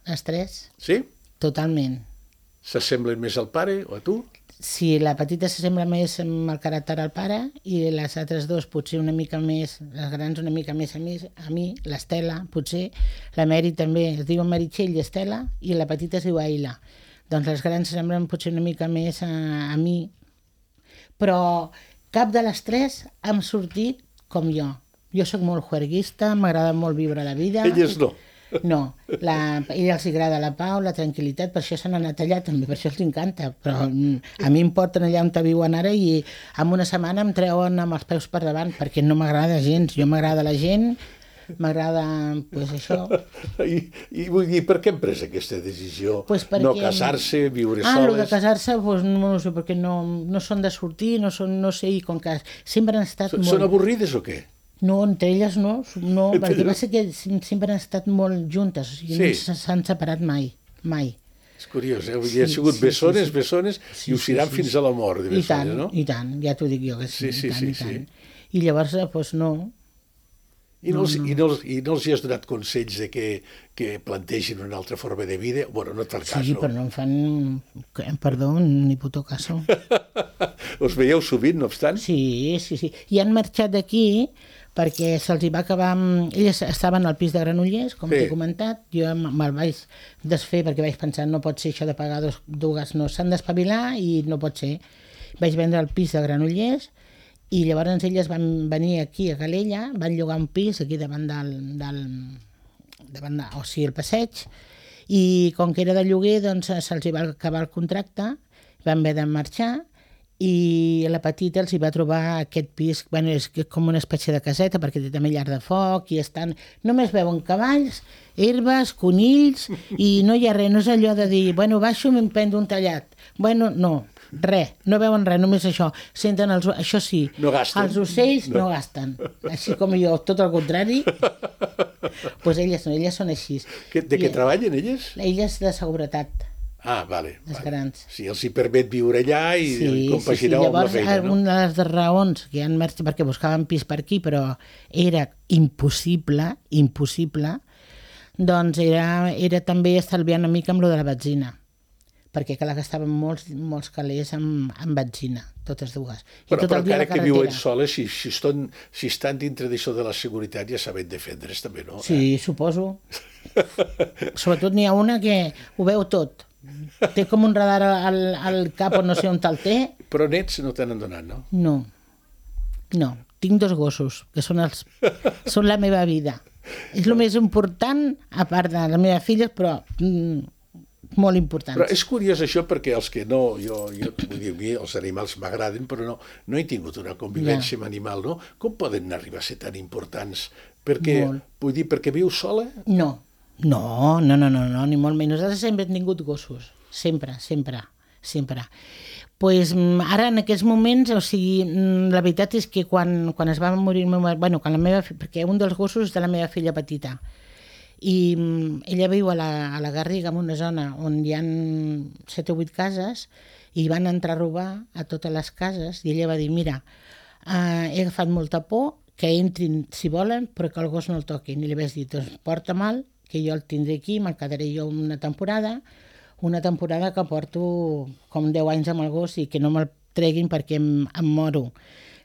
Speaker 3: Les tres.
Speaker 2: Sí?
Speaker 3: Totalment.
Speaker 2: S'assemblen més al pare o a tu?
Speaker 3: si la petita s'assembla més amb el caràcter al pare i les altres dues potser una mica més, les grans una mica més a mi, a mi l'Estela potser, la Mary també, es diu Meritxell i Estela, i la petita es diu Aila. Doncs les grans s'assemblen potser una mica més a, a mi, però cap de les tres hem sortit com jo. Jo sóc molt juerguista, m'agrada molt viure la vida.
Speaker 2: Elles no.
Speaker 3: No, la, a ella els agrada la pau, la tranquil·litat, per això s'han anat allà també, per això els encanta, però a mi em porten allà on viuen ara i en una setmana em treuen amb els peus per davant, perquè no m'agrada gens, jo m'agrada la gent, m'agrada, pues, això.
Speaker 2: I, I vull dir, per què hem pres aquesta decisió?
Speaker 3: Pues perquè...
Speaker 2: No casar-se, viure
Speaker 3: ah,
Speaker 2: soles?
Speaker 3: Ah, el de casar-se, pues, no, no sé, perquè no, no són de sortir, no, són, no sé, i com que sempre han estat
Speaker 2: S
Speaker 3: molt...
Speaker 2: Són avorrides o què?
Speaker 3: No, entre elles no, no perquè va ser que sempre han estat molt juntes, o sigui, sí. No s'han separat mai, mai.
Speaker 2: És curiós, eh? Vull dir, sí, ha sigut sí, bessones, sí, sí. bessones, sí, i ho seran sí, sí, fins a la mort, de bessones,
Speaker 3: I tant,
Speaker 2: no?
Speaker 3: I tant, ja t'ho dic jo, que sí,
Speaker 2: sí,
Speaker 3: i tant,
Speaker 2: sí,
Speaker 3: i tant.
Speaker 2: sí.
Speaker 3: I llavors, doncs no...
Speaker 2: I no, els, no, no. I, no els, I no els hi has donat consells de que, que plantegin una altra forma de vida? Bueno, no et fa cas,
Speaker 3: sí,
Speaker 2: no?
Speaker 3: però no em fan, perdó, ni puto caso.
Speaker 2: Us veieu sovint, no obstant?
Speaker 3: Sí, sí, sí. I han marxat d'aquí perquè se'ls hi va acabar... Elles estaven al pis de Granollers, com sí. T'he comentat, jo me'l vaig desfer perquè vaig pensar no pot ser això de pagar dos, dues, no, s'han d'espavilar i no pot ser. Vaig vendre el pis de Granollers i llavors elles van venir aquí a Calella, van llogar un pis aquí davant del... del davant de, o sigui, el passeig, i com que era de lloguer, doncs se'ls hi va acabar el contracte, van haver de marxar, i la petita els hi va trobar aquest pis, bueno, és com una espècie de caseta perquè té també llar de foc i estan, només veuen cavalls, herbes, conills i no hi ha res, no és allò de dir, bueno, baixo i m'emprendo un tallat, bueno, no, res, no veuen res, només això, senten els, això sí,
Speaker 2: no gasten.
Speaker 3: Els ocells no. no gasten, així com jo, tot el contrari, doncs pues elles no, elles són així.
Speaker 2: Que, de què I, treballen elles?
Speaker 3: Elles de seguretat.
Speaker 2: Ah, vale.
Speaker 3: Les
Speaker 2: vale.
Speaker 3: grans.
Speaker 2: Sí, els hi permet viure allà i,
Speaker 3: sí,
Speaker 2: i compaginar
Speaker 3: sí, sí.
Speaker 2: amb la feina, no?
Speaker 3: Una de les raons que han marxat, perquè buscaven pis per aquí, però era impossible, impossible, doncs era, era també estalviar una mica amb lo de la benzina, perquè clar, gastaven molts, molts calés amb, amb benzina, totes dues. I
Speaker 2: però
Speaker 3: tot
Speaker 2: però encara que viuen
Speaker 3: soles,
Speaker 2: si, si, estan, si estan dintre d'això de la seguretat ja saben defendre's també, no?
Speaker 3: Sí,
Speaker 2: eh?
Speaker 3: Suposo. Sobretot n'hi ha una que ho veu tot. Té com un radar al, al cap o no sé on te'l té.
Speaker 2: Però nets no t'han donat, no?
Speaker 3: No, no. Tinc dos gossos, que són, els, són la meva vida. És el més important, a part de les meves filles, però mm, molt important.
Speaker 2: Però és curiós això perquè els que no, jo, jo vull dir, a mi els animals m'agraden, però no, no he tingut una convivència ja. amb animal, no? Com poden arribar a ser tan importants? Perquè, molt. Vull dir, perquè viu sola?
Speaker 3: No. No, no, no, no, no, ni molt menys. Nosaltres sempre hem tingut gossos, sempre, sempre, sempre. Pues, ara, en aquests moments, o sigui, la veritat és que quan, quan es va morir el meu marit, bueno, quan la meva, perquè un dels gossos és de la meva filla petita, i ella viu a la, a la Garriga, en una zona on hi ha set o vuit cases, i van entrar a robar a totes les cases, i ella va dir, mira, eh, he agafat molta por, que entrin si volen, però que el gos no el toquin. I li vaig dir, doncs porta mal, que jo el tindré aquí, me'l quedaré jo una temporada, una temporada que porto com deu anys amb el gos i que no me'l treguin perquè em, em moro.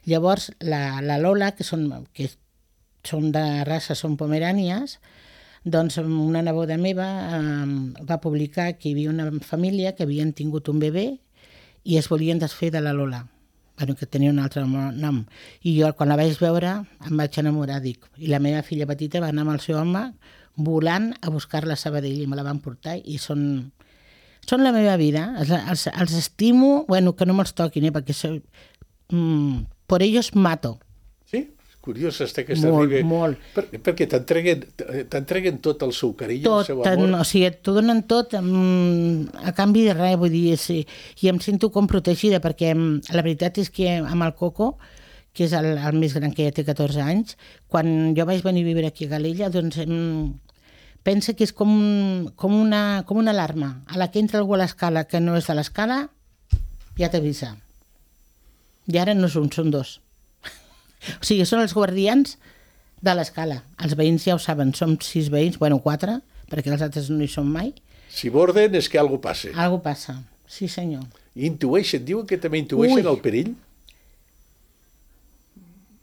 Speaker 3: Llavors, la, la Lola, que són, que són de raça, són pomerànies, doncs una neboda meva eh, va publicar que hi havia una família que havien tingut un bebè i es volien desfer de la Lola, bueno, que tenia un altre nom. I jo, quan la vaig veure, em vaig enamorar, dic. I la meva filla petita va anar amb el seu home volant a buscar-la a Sabadell i me la van portar i són, són la meva vida. Els, els, els estimo, bueno, que no me'ls toquin, eh, perquè soy, mm, por ellos mato.
Speaker 2: Sí? Curiós està aquesta
Speaker 3: molt,
Speaker 2: arriba.
Speaker 3: Molt,
Speaker 2: per, perquè t'entreguen, t'entreguen tot el seu carinyo,
Speaker 3: tot,
Speaker 2: el seu amor.
Speaker 3: O sigui, t'ho donen tot mm, a canvi de res, vull dir, sí, i em sento com protegida, perquè la veritat és que amb el Coco, que és el, el més gran, que ja té catorze anys, quan jo vaig venir a viure aquí a Calella, doncs mm, pensa que és com, com, una, com una alarma. A la que entra algú a l'escala que no és de l'escala, ja t'avisa. I ara no són, són dos. O sigui, són els guardians de l'escala. Els veïns ja ho saben, som sis veïns, bueno, quatre, perquè els altres no hi són mai.
Speaker 2: Si borden és que alguna cosa passa.
Speaker 3: Algo passa, sí senyor.
Speaker 2: I intueixen, diuen que també intueixen
Speaker 3: Ui.
Speaker 2: el perill?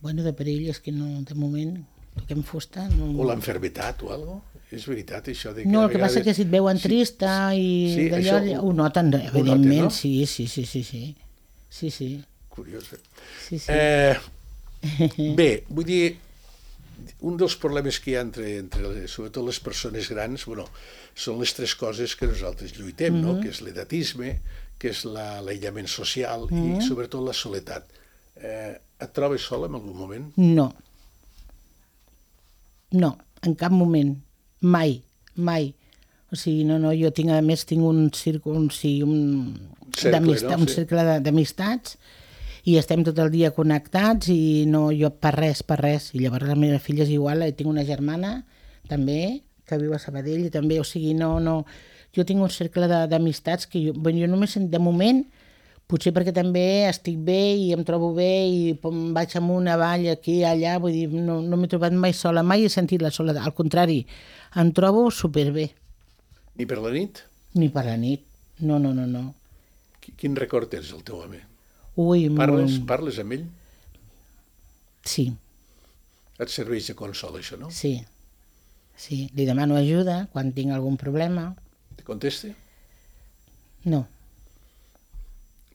Speaker 3: Bueno, de perill és que no, de moment, toquem fusta. No...
Speaker 2: O l'enfermetat o alguna cosa? És veritat, això de que
Speaker 3: No,
Speaker 2: a
Speaker 3: el que
Speaker 2: vegades...
Speaker 3: passa que si et veuen
Speaker 2: Sí,
Speaker 3: trista i
Speaker 2: sí,
Speaker 3: d'allò,
Speaker 2: això
Speaker 3: ho noten,
Speaker 2: ho
Speaker 3: evidentment,
Speaker 2: noten, no?
Speaker 3: sí, sí, sí, sí, sí, sí, sí,
Speaker 2: Curiós. Eh?
Speaker 3: sí, sí.
Speaker 2: Eh, bé, vull dir, un dels problemes que hi ha entre, entre les, sobretot les persones grans, bueno, són les tres coses que nosaltres lluitem, mm -hmm. no? Que és l'edatisme, que és la- l'aïllament social mm -hmm. i sobretot la soledat. Eh, et trobes sola en algun moment?
Speaker 3: No. No, en cap moment. Mai, mai. O sigui, no, no, jo tinc, a més, tinc un cercle, un, sí, un,
Speaker 2: Cercle,
Speaker 3: d'amista-
Speaker 2: no?
Speaker 3: un
Speaker 2: Sí.
Speaker 3: cercle de- d'amistats i estem tot el dia connectats i no, jo per res, per res. I llavors la meva filla és igual, eh, tinc una germana també, que viu a Sabadell i també, o sigui, no, no... Jo tinc un cercle de- d'amistats que jo, bueno, jo només, de moment, potser perquè també estic bé i em trobo bé i pom, vaig amunt, avall, aquí, allà, vull dir, no, no m'he trobat mai sola, mai he sentit la soledat, al contrari, em trobo superbé,
Speaker 2: Ni per la nit?
Speaker 3: ni per la nit, no, no, no, no.
Speaker 2: Qui- Quin record tens del teu home?
Speaker 3: Ui,
Speaker 2: Parles,
Speaker 3: molt...
Speaker 2: parles amb ell?
Speaker 3: Sí,
Speaker 2: Et serveix de consol, això, no?
Speaker 3: sí, sí, li demano ajuda quan tinc algun problema,
Speaker 2: Te contesta?
Speaker 3: no.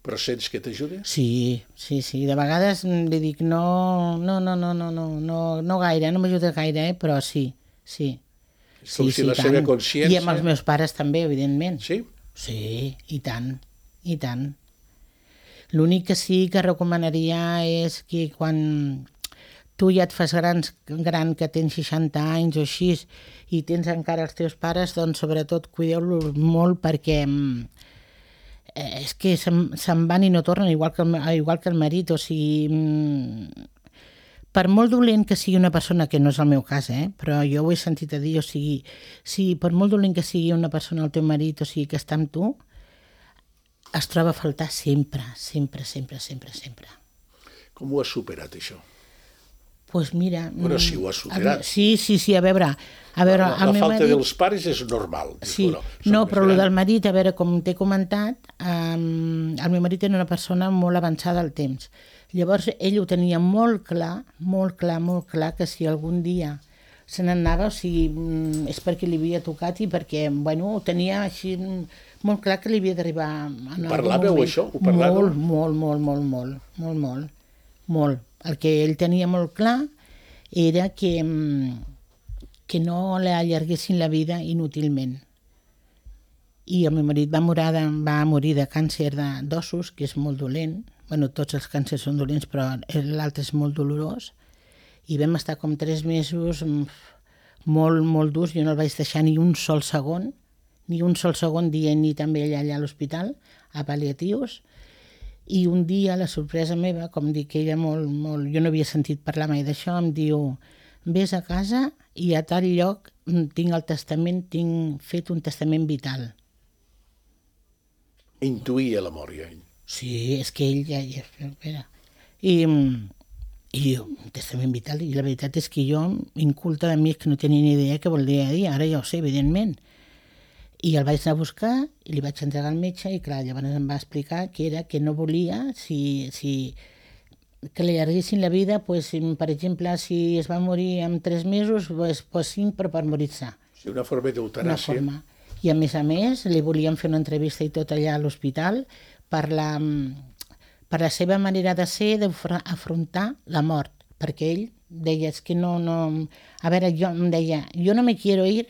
Speaker 2: Però sents que t'ajuda?
Speaker 3: Sí, sí, sí. De vegades mm, li dic no, no, no, no, no, no, no, no gaire, no m'ajuda gaire, eh? Però sí, sí.
Speaker 2: És com si la seva
Speaker 3: tant.
Speaker 2: consciència...
Speaker 3: I amb els meus pares també, evidentment.
Speaker 2: Sí?
Speaker 3: Sí, i tant, i tant. L'únic que sí que recomanaria és que quan tu ja et fas grans, gran, que tens seixanta anys o així, i tens encara els teus pares, doncs sobretot cuideu-los molt perquè mm, eh, és que se'n se'n van i no tornen, igual que, el, igual que el marit, o sigui... Mm, per molt dolent que sigui una persona, que no és el meu cas, eh? Però jo ho he sentit a dir, o sigui, si per molt dolent que sigui una persona, el teu marit, o sigui, que està amb tu, es troba a faltar sempre, sempre, sempre, sempre, sempre.
Speaker 2: Com ho has superat, això?
Speaker 3: Doncs pues mira...
Speaker 2: Bueno,
Speaker 3: mm,
Speaker 2: si ho has superat.
Speaker 3: a- Sí, sí, sí, a veure... A veure,
Speaker 2: La,
Speaker 3: el
Speaker 2: la
Speaker 3: meu
Speaker 2: falta
Speaker 3: marit...
Speaker 2: dels pares és normal. Dius,
Speaker 3: Sí,
Speaker 2: bueno, soc
Speaker 3: no,
Speaker 2: més
Speaker 3: però el
Speaker 2: gran.
Speaker 3: del marit, a veure, com t'he comentat, um, el meu marit era una persona molt avançada al temps. Llavors, ell ho tenia molt clar, molt clar, molt clar, que si algun dia se n'anava, o sigui, mm, és perquè li havia tocat i perquè, bueno, ho tenia així mm, molt clar que li havia d'arribar en algun
Speaker 2: parlàveu,
Speaker 3: moment.
Speaker 2: això? Ho parlàveu?
Speaker 3: Molt, molt, molt, molt, molt, molt, molt, molt. El que ell tenia molt clar era que, mm, que no l'allarguessin la vida inútilment. I el meu marit va morir de, va morir de càncer de- d'ossos, que és molt dolent. Bueno, tots els càncers són dolents, però l'altre és molt dolorós. I vam estar com tres mesos mm, molt, molt durs. Jo no el vaig deixar ni un sol segon, ni un sol segon dient ni també allà, allà a l'hospital, a pal·liatius. I un dia, la sorpresa meva, com dic, ella molt, molt... Jo no havia sentit parlar mai d'això, em diu: vés a casa i a tal lloc mm, tinc el testament, tinc fet un testament vital.
Speaker 2: Intuïa la mort, ja. ell.
Speaker 3: Sí, és que ell ja... ja espera. I, i jo, un testament vital, i la veritat és que jo, inculta de mi, que no tenia ni idea què volia dir, ara ja ho sé, evidentment. I el vaig anar a buscar i li vaig entregar al metge i clar, llavors em va explicar que era que no volia si, si que li allarguessin la vida, pues, si, per exemple, si es va morir en tres mesos, pues, pues cinc, però per morir-se.
Speaker 2: Sí, una forma
Speaker 3: Una
Speaker 2: d'eutanàsia.
Speaker 3: forma. I a més a més li volíem fer una entrevista i tot allà a l'hospital per la, per la seva manera de ser, d'afrontar la mort, perquè ell deia, és que no, no... A veure, jo em deia, jo no me quiero ir,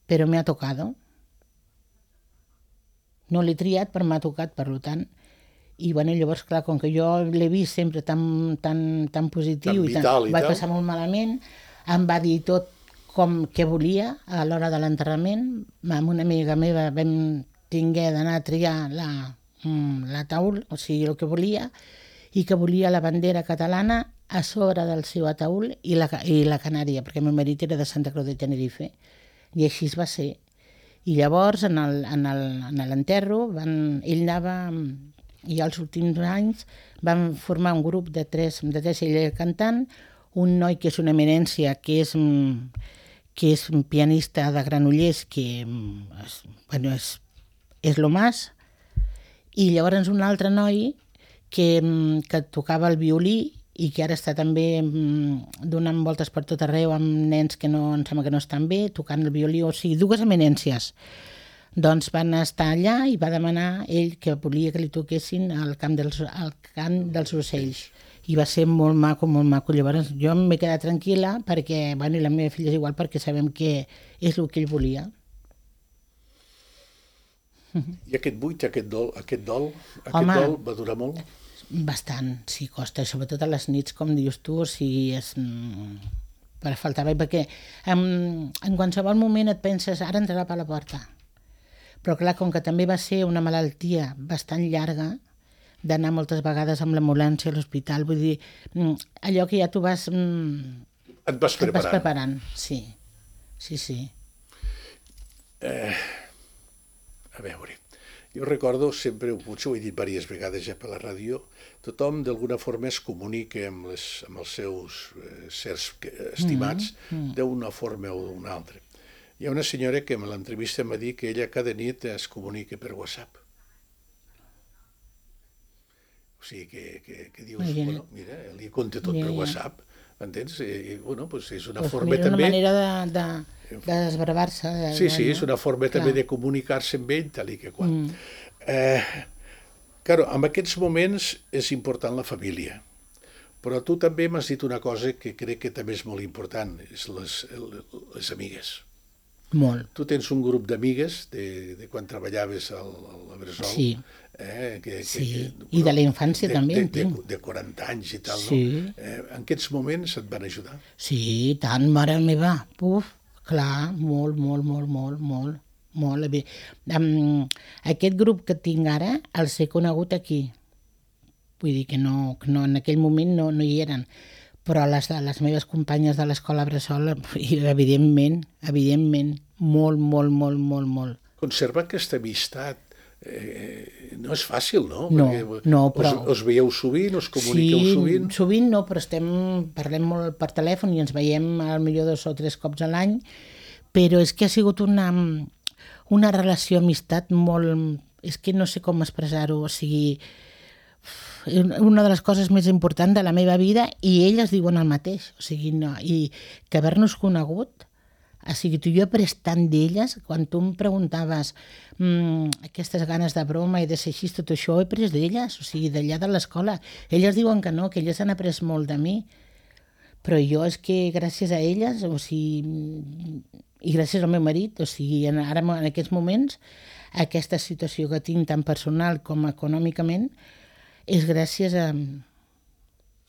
Speaker 3: però me ha tocado. No l'he triat, però m'ha tocat, per tant. I bueno, llavors, clar, com que jo l'he vist sempre tan, tan, tan positiu
Speaker 2: Tan
Speaker 3: i,
Speaker 2: vital
Speaker 3: tan,
Speaker 2: i
Speaker 3: vaig
Speaker 2: tal.
Speaker 3: passar molt malament, em va dir tot com que volia a l'hora de l'enterrament. Amb una amiga meva vam tingué d'anar a triar la, mm, la taül, o sigui, el que volia, i que volia la bandera catalana a sobre del seu ataúl i la, i la canària, perquè el meu marit era de Santa Creu de Tenerife. I així es va ser. I llavors, en el- en el- en l'enterro, van- ell anava... I als últims anys vam formar un grup de tres, de tres ella cantant, un noi que és una eminència, que és, mm, que és un pianista de Granollers, que mm, és, bueno, és, és lo más, I llavors un altre noi que, que tocava el violí i que ara està també donant voltes per tot arreu amb nens que no, em sembla que no estan bé, tocant el violí, o sigui, dues eminències. Doncs van estar allà i va demanar ell que volia que li toquessin al camp dels, al cant dels ocells. I va ser molt maco, molt maco. Llavors jo m'he quedat tranquil·la perquè, bueno, i la meva filla és igual, perquè sabem que és el que ell volia.
Speaker 2: I aquest buit, aquest dol, aquest dol, aquest
Speaker 3: Home,
Speaker 2: dol va durar molt?
Speaker 3: Bastant, sí, costa, sobretot a les nits, com dius tu, o sigui, és... per faltava, perquè en, en qualsevol moment et penses, ara entrarà per la porta. Però clar, com que també va ser una malaltia bastant llarga, d'anar moltes vegades amb l'ambulància a l'hospital, vull dir, allò que ja tu vas...
Speaker 2: Et vas preparant.
Speaker 3: Et vas preparant, sí, sí, sí.
Speaker 2: Eh, a veure, jo recordo sempre, potser ho he dit diverses vegades ja per la ràdio, tothom d'alguna forma es comunica amb, les, amb els seus eh, sers estimats mm -hmm. d'una forma o d'una altra. Hi ha una senyora que en l'entrevista em va dir que ella cada nit es comunica per WhatsApp. O sigui, que, que, que dius, bueno, mira, li conta tot per WhatsApp, m'entens? I, bueno, doncs és una
Speaker 3: pues
Speaker 2: forma
Speaker 3: mira,
Speaker 2: també...
Speaker 3: una manera de, de, de desbravar-se. De,
Speaker 2: sí, sí,
Speaker 3: no?
Speaker 2: és una forma també de comunicar-se amb ell, tal i que qual. Mm. Eh, claro, en aquests moments és important la família. Però tu també m'has dit una cosa que crec que també és molt important, és les, les amigues.
Speaker 3: Molt.
Speaker 2: Tu tens un grup d'amigues de, de quan treballaves al, al Bressol.
Speaker 3: Sí.
Speaker 2: Eh, que,
Speaker 3: sí.
Speaker 2: Que, que,
Speaker 3: I de la infància
Speaker 2: de,
Speaker 3: també
Speaker 2: de,
Speaker 3: en tinc.
Speaker 2: De, de quaranta anys i tal,
Speaker 3: sí.
Speaker 2: no? Eh, en aquests moments et van ajudar?
Speaker 3: Sí, tant, mare meva. Uf, clar, molt, molt, molt, molt, molt. molt. Um, aquest grup que tinc ara els he conegut aquí. Vull dir que no, que no en aquell moment no, no hi eren. Però les, les meves companyes de l'escola Bressol, evidentment, evidentment, molt, molt, molt, molt, molt.
Speaker 2: Conservar aquesta amistat eh, no és fàcil, no?
Speaker 3: No,
Speaker 2: Perquè
Speaker 3: no, però...
Speaker 2: Us, us veieu sovint, us comuniqueu
Speaker 3: sí,
Speaker 2: sovint?
Speaker 3: Sí, sovint no, però estem, parlem molt per telèfon i ens veiem al millor dos o tres cops a l'any, però és que ha sigut una, una relació amistat molt... És que no sé com expressar-ho, o sigui... una de les coses més importants de la meva vida i elles diuen el mateix, o sigui, no, i que haver-nos conegut, o sigui, tu i jo he après tant d'elles, quan tu em preguntaves mmm, aquestes ganes de broma i de ser així, tot això ho he après d'elles, o sigui, d'allà de l'escola. Elles diuen que no, que elles han après molt de mi, però jo és que gràcies a elles, o sigui, i gràcies al meu marit, o sigui, ara en aquests moments, aquesta situació que tinc tant personal com econòmicament, és gràcies a...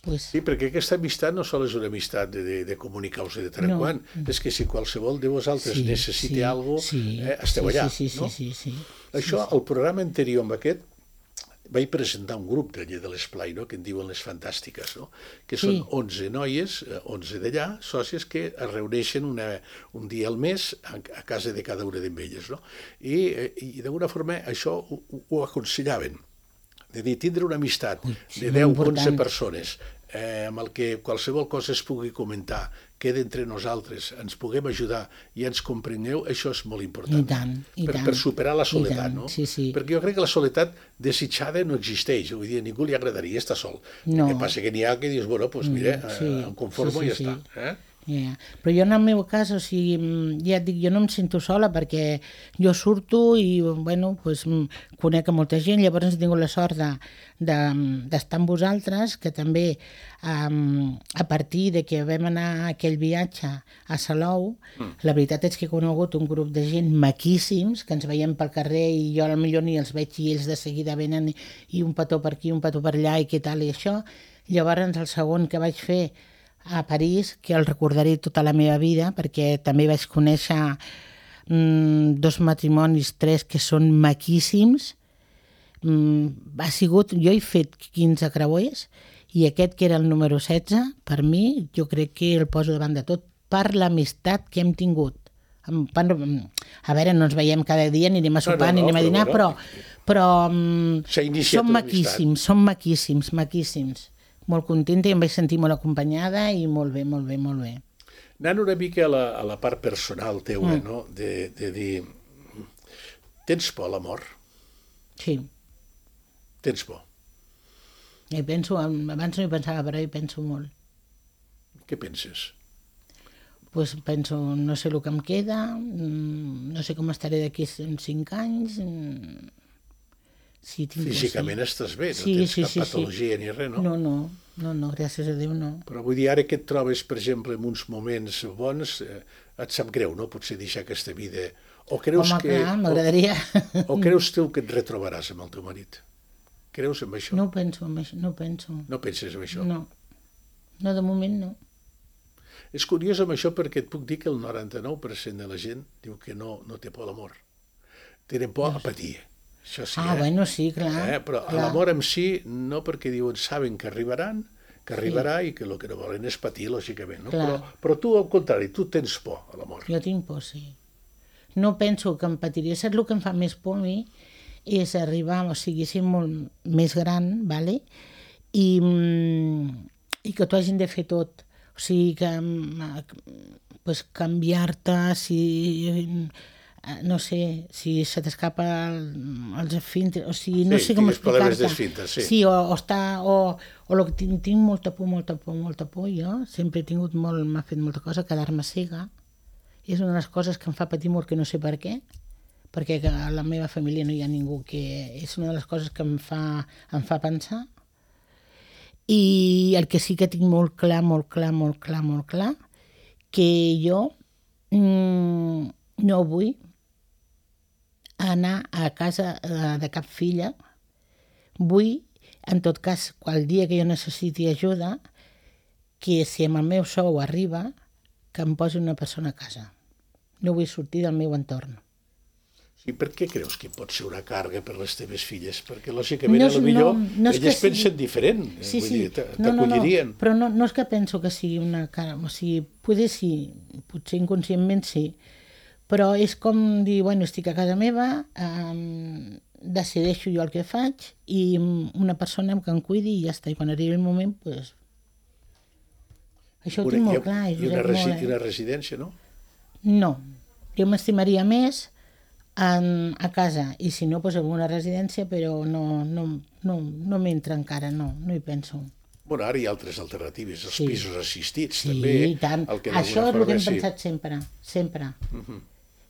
Speaker 3: Pues...
Speaker 2: Sí, perquè aquesta amistat no sols és una amistat de, de, de comunicar-vos de tant en no. quant, és que si qualsevol de vosaltres sí, necessita sí, alguna cosa, sí, eh, esteu
Speaker 3: sí,
Speaker 2: allà.
Speaker 3: Sí, sí,
Speaker 2: no?
Speaker 3: sí, sí, sí.
Speaker 2: Això,
Speaker 3: sí, sí.
Speaker 2: el programa anterior amb aquest, vaig presentar un grup d'allà de l'Esplai, no? Que en diuen les Fantàstiques, no? Que són sí. onze noies, onze d'allà, sòcies, que es reuneixen una, un dia al mes a, a casa de cada una d'elles, no? I, i d'alguna forma això ho, ho aconsellaven. De dir, tindre una amistat Ui, de deu o onze persones eh, amb el que qualsevol cosa es pugui comentar, queda entre nosaltres, ens puguem ajudar i ens comprengueu, això és molt important.
Speaker 3: I tant, i
Speaker 2: per,
Speaker 3: tant.
Speaker 2: Per superar la soledat, no?
Speaker 3: Sí, sí.
Speaker 2: Perquè jo crec que la soledat desitjada no existeix, vull dir, a ningú li agradaria estar sol.
Speaker 3: No.
Speaker 2: El que passa que n'hi ha que dius, bueno, doncs mira, sí, em conformo sí, sí, i ja sí. està. Eh?
Speaker 3: Yeah. Però jo en el meu cas, o sigui, ja et dic, jo no em sento sola perquè jo surto i, bueno, pues, conec a molta gent, llavors he tingut la sort de, de, d'estar amb vosaltres, que també um, a partir de que vam anar a aquell viatge a Salou, mm. la veritat és que he conegut un grup de gent maquíssims, que ens veiem pel carrer i jo potser ni els veig i ells de seguida venen i, i un petó per aquí, un petó per allà i què tal i això. Llavors el segon que vaig fer a París, que el recordaré tota la meva vida, perquè també vaig conèixer mm, dos matrimonis, tres, que són maquíssims. Mm, ha sigut, jo he fet quinze creuers i aquest, que era el número setze, per mi, jo crec que el poso davant de tot per l'amistat que hem tingut. A veure, no ens veiem cada dia, ni anem a sopar, no, no, no, ni anem a dinar, però, però, però són maquíssims, són maquíssims, maquíssims. Molt contenta i em vaig sentir molt acompanyada i molt bé, molt bé, molt bé.
Speaker 2: Anant una mica a la, a la part personal teua, mm. no? De, de dir, tens por a la mort?
Speaker 3: Sí.
Speaker 2: tens por.
Speaker 3: I penso, abans no hi pensava, però hi penso molt.
Speaker 2: Què penses?
Speaker 3: Pues penso, no sé el que em queda, no sé com estaré d'aquí cinc anys. Sí, tinc
Speaker 2: Físicament
Speaker 3: por, sí.
Speaker 2: estàs bé, no
Speaker 3: sí,
Speaker 2: tens
Speaker 3: sí,
Speaker 2: cap
Speaker 3: sí,
Speaker 2: patologia
Speaker 3: sí.
Speaker 2: ni res, no?
Speaker 3: No, no, no, no, gràcies a Déu no.
Speaker 2: Però vull dir, ara que et trobes, per exemple, en uns moments bons, eh, et sap greu, no? Potser deixar aquesta vida. O creus
Speaker 3: Home,
Speaker 2: que...
Speaker 3: clar, m'agradaria.
Speaker 2: O, o creus tu que et retrobaràs amb el teu marit? Creus en això?
Speaker 3: No penso en això, no penso.
Speaker 2: No penses en això?
Speaker 3: No, no, de moment no.
Speaker 2: És curiós amb això perquè et puc dir que el noranta-nou per cent de la gent diu que no, no té por a l'amor. Tenen por a patir. Això sí,
Speaker 3: ah,
Speaker 2: eh?
Speaker 3: bueno, sí, clar.
Speaker 2: Eh? Però
Speaker 3: clar.
Speaker 2: a l'amor en si no, perquè diuen, saben que arribaran, que arribarà sí. I que el que no volen és patir, lògicament. No? Però, però tu, al contrari, tu tens por a l'amor.
Speaker 3: Jo tinc por, sí. No penso que em patiria. Saps el que em fa més por a mi? És arribar, o sigui, ser molt més gran, vale? I, i que t'ho hagin de fer tot. O sigui, que pues, canviar-te, si, no sé, si se t'escapa el, els esfínteres, o sigui, no
Speaker 2: sí,
Speaker 3: sé com explicar-te.
Speaker 2: Sí,
Speaker 3: sí o, o, està, o, o lo que tinc, tinc molta por, molta por, molta por, jo. Sempre he tingut molt, m'ha fet molta cosa, quedar-me cega. És una de les coses que em fa patir molt, que no sé per què, perquè a la meva família no hi ha ningú que... És una de les coses que em fa, em fa pensar. I el que sí que tinc molt clar, molt clar, molt clar, molt clar, que jo mmm, no vull anar a casa de cap filla. Vull, en tot cas, qual dia que jo necessiti ajuda, que si amb el meu sou arriba, que em posi una persona a casa. No vull sortir del meu entorn.
Speaker 2: I per què creus que pot ser una càrrega per les teves filles? Perquè, lògicament,
Speaker 3: no,
Speaker 2: a lo millor
Speaker 3: no, no
Speaker 2: elles pensen
Speaker 3: sigui...
Speaker 2: diferent.
Speaker 3: Sí,
Speaker 2: vull
Speaker 3: sí.
Speaker 2: dir, t'acollirien.
Speaker 3: No, no, no. Però no, no és que penso que sigui una càrrega. O sigui, potser sí, potser inconscientment sí. Però és com dir, bueno, estic a casa meva, eh, decideixo jo el que faig i una persona que em cuidi i ja està. I quan arribi el moment, doncs... Pues... Això ho tinc molt clar.
Speaker 2: I una, resi molt, eh? una residència, no?
Speaker 3: No. Jo m'estimaria més en, a casa, i si no, doncs en una residència, però no, no, no, no m'entra encara, no, no hi penso.
Speaker 2: Bueno, ara hi ha altres alternatives, els
Speaker 3: sí.
Speaker 2: pisos assistits,
Speaker 3: sí,
Speaker 2: també.
Speaker 3: Sí, tant. Això és el que hem sí. pensat sempre, sempre. Uh -huh.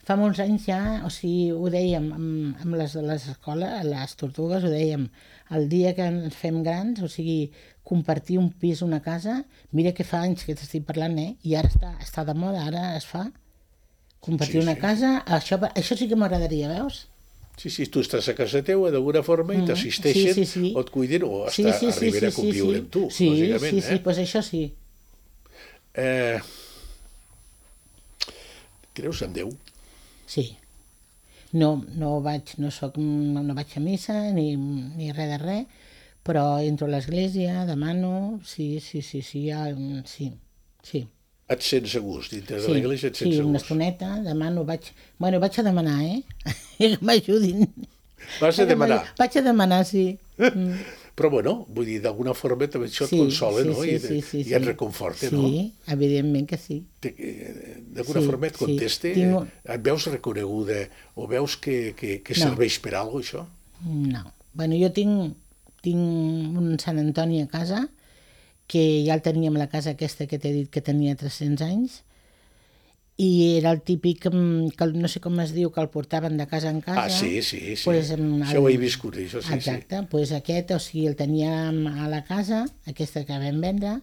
Speaker 3: Fa molts anys ja, o sigui, ho dèiem amb, amb les, les escoles, a les tortugues, ho dèiem, el dia que ens fem grans, o sigui, compartir un pis, una casa, mira que fa anys que t'estic parlant, eh? I ara està, està de moda, ara es fa. Compartir sí, una sí. casa, això, això sí que m'agradaria, veus?
Speaker 2: Sí, sí, tu estàs a casa teua d'alguna forma i t'assisteixen,
Speaker 3: sí, sí, sí.
Speaker 2: o et cuiden, o hasta
Speaker 3: sí, sí, sí,
Speaker 2: arribaré
Speaker 3: sí,
Speaker 2: a conviure
Speaker 3: sí,
Speaker 2: amb tu,
Speaker 3: sí,
Speaker 2: lògicament.
Speaker 3: Sí, sí,
Speaker 2: eh?
Speaker 3: sí, doncs això sí.
Speaker 2: Eh, creus en Déu?
Speaker 3: Sí. No, no vaig, no soc, no vaig a missa ni, ni res de res, però entro a l'església, demano, sí, sí, sí, sí, ja, sí, sí.
Speaker 2: Et sents a gust, dintre
Speaker 3: sí,
Speaker 2: de l'església et sents
Speaker 3: sí,
Speaker 2: a gust?
Speaker 3: Sí, una estoneta, demano, vaig... Bueno, vaig a demanar, eh? Que m'ajudin.
Speaker 2: Vas a demanar?
Speaker 3: Vaig a demanar, sí.
Speaker 2: Mm. Però, bueno, vull dir, d'alguna forma també això et sí, consola,
Speaker 3: sí,
Speaker 2: no?
Speaker 3: Sí,
Speaker 2: I,
Speaker 3: sí, sí,
Speaker 2: i et reconforta,
Speaker 3: sí,
Speaker 2: no?
Speaker 3: Sí, evidentment que sí.
Speaker 2: D'alguna sí, forma et conteste?
Speaker 3: Sí, tinc...
Speaker 2: Et veus reconeguda o veus que, que, que serveix no. per alguna cosa, això?
Speaker 3: No. Bueno, jo tinc, tinc un Sant Antoni a casa, que ja el teníem a la casa aquesta que t'he dit que tenia tres-cents anys, i era el típic, que no sé com es diu, que el portaven de casa en casa.
Speaker 2: Ah, sí, sí, sí.
Speaker 3: Pues, el,
Speaker 2: això ho he viscut, això sí.
Speaker 3: Exacte,
Speaker 2: sí.
Speaker 3: Doncs pues aquest, o sigui, el teníem a la casa, aquesta que vam vendre,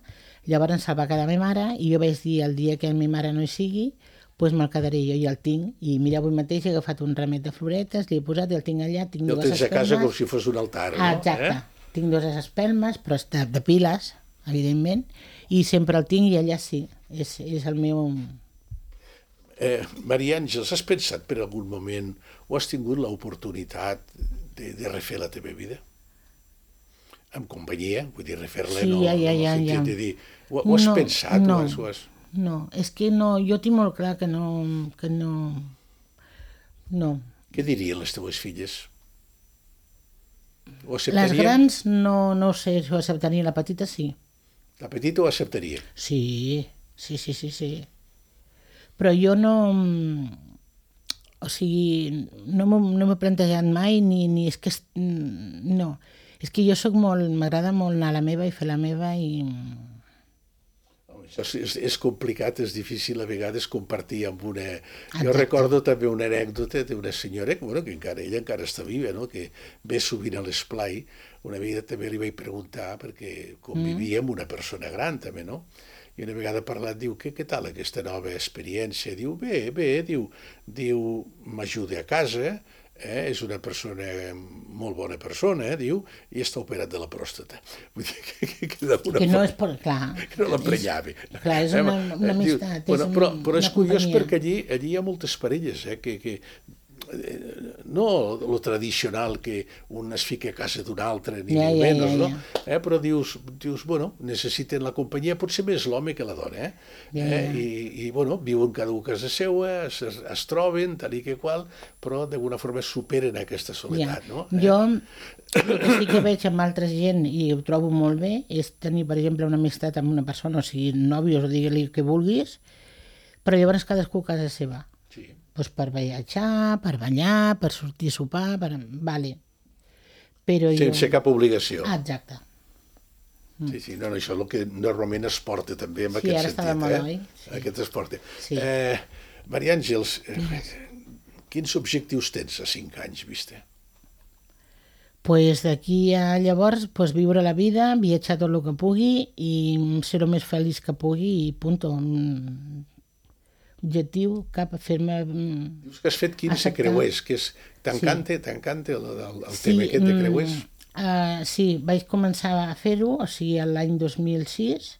Speaker 3: llavors se'l va quedar a ma mare, i jo vaig dir, el dia que ma mare no hi sigui, doncs pues me'l quedaré jo, i el tinc, i mira, avui mateix he agafat un ramet de floretes, l'he posat, i el tinc allà, tinc dues espelmes.
Speaker 2: El tens a casa com si fos un altar, no?
Speaker 3: Exacte,
Speaker 2: eh?
Speaker 3: Tinc dues espelmes, però de, de piles, evidentment, i sempre el tinc i allà sí, és, és el meu...
Speaker 2: Eh, Maria Àngels, has pensat per algun moment o has tingut l'oportunitat de, de refer la teva vida? Amb companyia, vull dir, refer-la
Speaker 3: sí,
Speaker 2: no,
Speaker 3: ja, ja,
Speaker 2: no,
Speaker 3: ja,
Speaker 2: no
Speaker 3: ja.
Speaker 2: de dir, ho, ho has
Speaker 3: no,
Speaker 2: pensat?
Speaker 3: No,
Speaker 2: ho has, ho has...
Speaker 3: no, és que no, jo tinc molt clar que no, que no, no.
Speaker 2: Què dirien les teves filles? Ho acceptarien?
Speaker 3: Les grans no, no sé si ho acceptarien, la petita sí.
Speaker 2: La petita ho acceptaria?
Speaker 3: Sí, sí, sí, sí, sí. Però jo no, o sigui, no m'ho no plantejat mai, ni, ni és que, no, És que jo sóc molt... M'agrada molt anar a la meva i fer la meva i...
Speaker 2: Això és, és complicat, és difícil a vegades compartir amb una... Jo recordo també una anècdota d'una senyora, bueno, que encara, ella encara està viva, no? Que ve sovint a l'esplai. Una vegada també li vaig preguntar, perquè convivia amb una persona gran també, no? I una vegada parlat, diu, què, què tal aquesta nova experiència? Diu, bé, bé, diu, diu m'ajuda a casa, eh? És una persona, molt bona persona, eh? Diu, i està operat de la pròstata. Vull dir que, que, que, una
Speaker 3: que no és per... Clar.
Speaker 2: Que no l'emprenyava.
Speaker 3: Clar, és una, una amistat.
Speaker 2: Bueno,
Speaker 3: és
Speaker 2: però,
Speaker 3: una,
Speaker 2: però és
Speaker 3: una
Speaker 2: curiós
Speaker 3: companyia.
Speaker 2: perquè allí, allí hi ha moltes parelles, eh? Que, que no lo tradicional que un es fica a casa d'un altre, ni
Speaker 3: ja,
Speaker 2: ja,
Speaker 3: ja,
Speaker 2: menys,
Speaker 3: ja,
Speaker 2: no?
Speaker 3: ja.
Speaker 2: Eh? Però dius, dius, bueno, necessiten la companyia, potser més l'home que la dona, eh?
Speaker 3: Ja,
Speaker 2: eh?
Speaker 3: ja.
Speaker 2: I, I, bueno, viuen cada un a casa seua, es, es troben, tal i que qual, però d'alguna forma superen aquesta soledat,
Speaker 3: Ja.
Speaker 2: no? Eh?
Speaker 3: Jo, el que sí que veig amb altra gent, i ho trobo molt bé, és tenir, per exemple, una amistat amb una persona, o sigui, nòvios, o digue-li que vulguis, però llavors cadascú a casa seva.
Speaker 2: Sí.
Speaker 3: Pues per viatjar, per banyar, per sortir a sopar, per... Vale. Però
Speaker 2: Sense
Speaker 3: jo...
Speaker 2: cap obligació.
Speaker 3: Ah, exacte.
Speaker 2: Sí, sí, no, no, això és el que normalment es porta també en
Speaker 3: Sí,
Speaker 2: aquest
Speaker 3: ara està de
Speaker 2: sentit.
Speaker 3: moda,
Speaker 2: eh?
Speaker 3: oi? Sí.
Speaker 2: Aquest es porta.
Speaker 3: Sí.
Speaker 2: Eh, Maria Àngels, eh, quins objectius tens a cinc anys, vista?
Speaker 3: Pues d'aquí a llavors pues, viure la vida, viatjar tot el que pugui i ser el més feliç que pugui i punto. Objectiu cap a fer-me...
Speaker 2: Dius que has fet quinze
Speaker 3: acceptar.
Speaker 2: creuers, que és... T'encanta, sí. t'encanta el, el, el sí, tema aquest de creuers?
Speaker 3: Uh, sí, vaig començar a fer-ho, o sigui, l'any dos mil sis,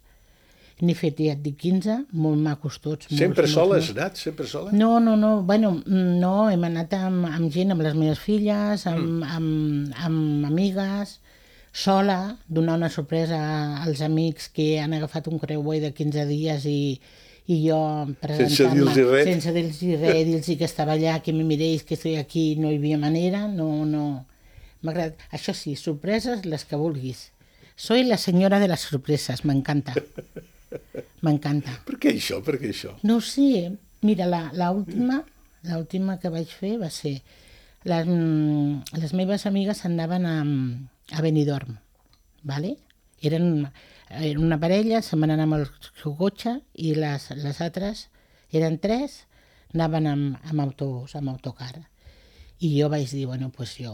Speaker 3: n'he fet, ja et dic, quinze, molt macos tots.
Speaker 2: Sempre
Speaker 3: molts,
Speaker 2: sola
Speaker 3: molts,
Speaker 2: has anat? Sempre sola?
Speaker 3: No, no, no, bueno, no, hem anat amb, amb gent, amb les meves filles, amb, mm. amb, amb amigues, sola, donar una sorpresa als amics que han agafat un creuer de quinze dies i, i jo
Speaker 2: sense dir-los res,
Speaker 3: sense dir-los res, dir-los que estava allà, que me miréis, que estoy aquí, no hi havia manera, no, no. M'agrada. Això sí, sorpreses les que vulguis. Soy la senyora de les sorpreses, m'encanta. M'encanta.
Speaker 2: Per què això? Per què això?
Speaker 3: No ho sé. Mira, la, la última, la última que vaig fer va ser... Les, les meves amigues anaven a, a Benidorm, ¿vale? Eren, eren una parella, se'n van anar amb el seu cotxe i les, les altres, eren tres, anaven amb, amb autobús, amb autocar. I jo vaig dir, bueno, doncs jo,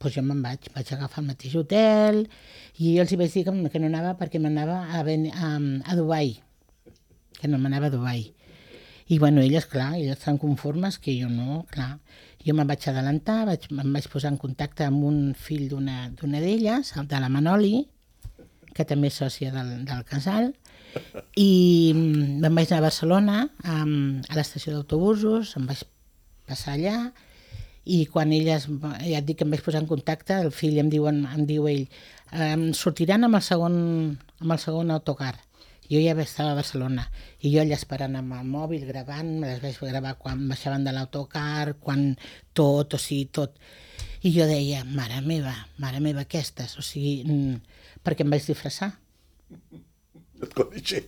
Speaker 3: pues jo me'n vaig, vaig agafar el mateix hotel i jo els hi vaig dir que, que no anava perquè m'anava a, a, a Dubai, que no m'anava a Dubai. I bueno, elles, clar, elles estan conformes, que jo no, clar. Jo me'n vaig adelantar, vaig, em vaig posar en contacte amb un fill d'una d'elles, de la Manoli, que també és sòcia del, del casal, i me'n vaig anar a Barcelona, a, a l'estació d'autobusos, em vaig passar allà, i quan elles, ja et dic que em vaig posar en contacte, el fill em diu, em diu ell, eh, sortiran amb el segon, amb el segon autocar. Jo ja estava a Barcelona i jo allà esperant amb el mòbil, gravant, me les vaig gravar quan baixaven de l'autocar, quan tot, o sigui, tot. I jo deia, mare meva, mare meva, aquestes, o sigui, perquè em vaig disfressar.
Speaker 2: No et coneixia.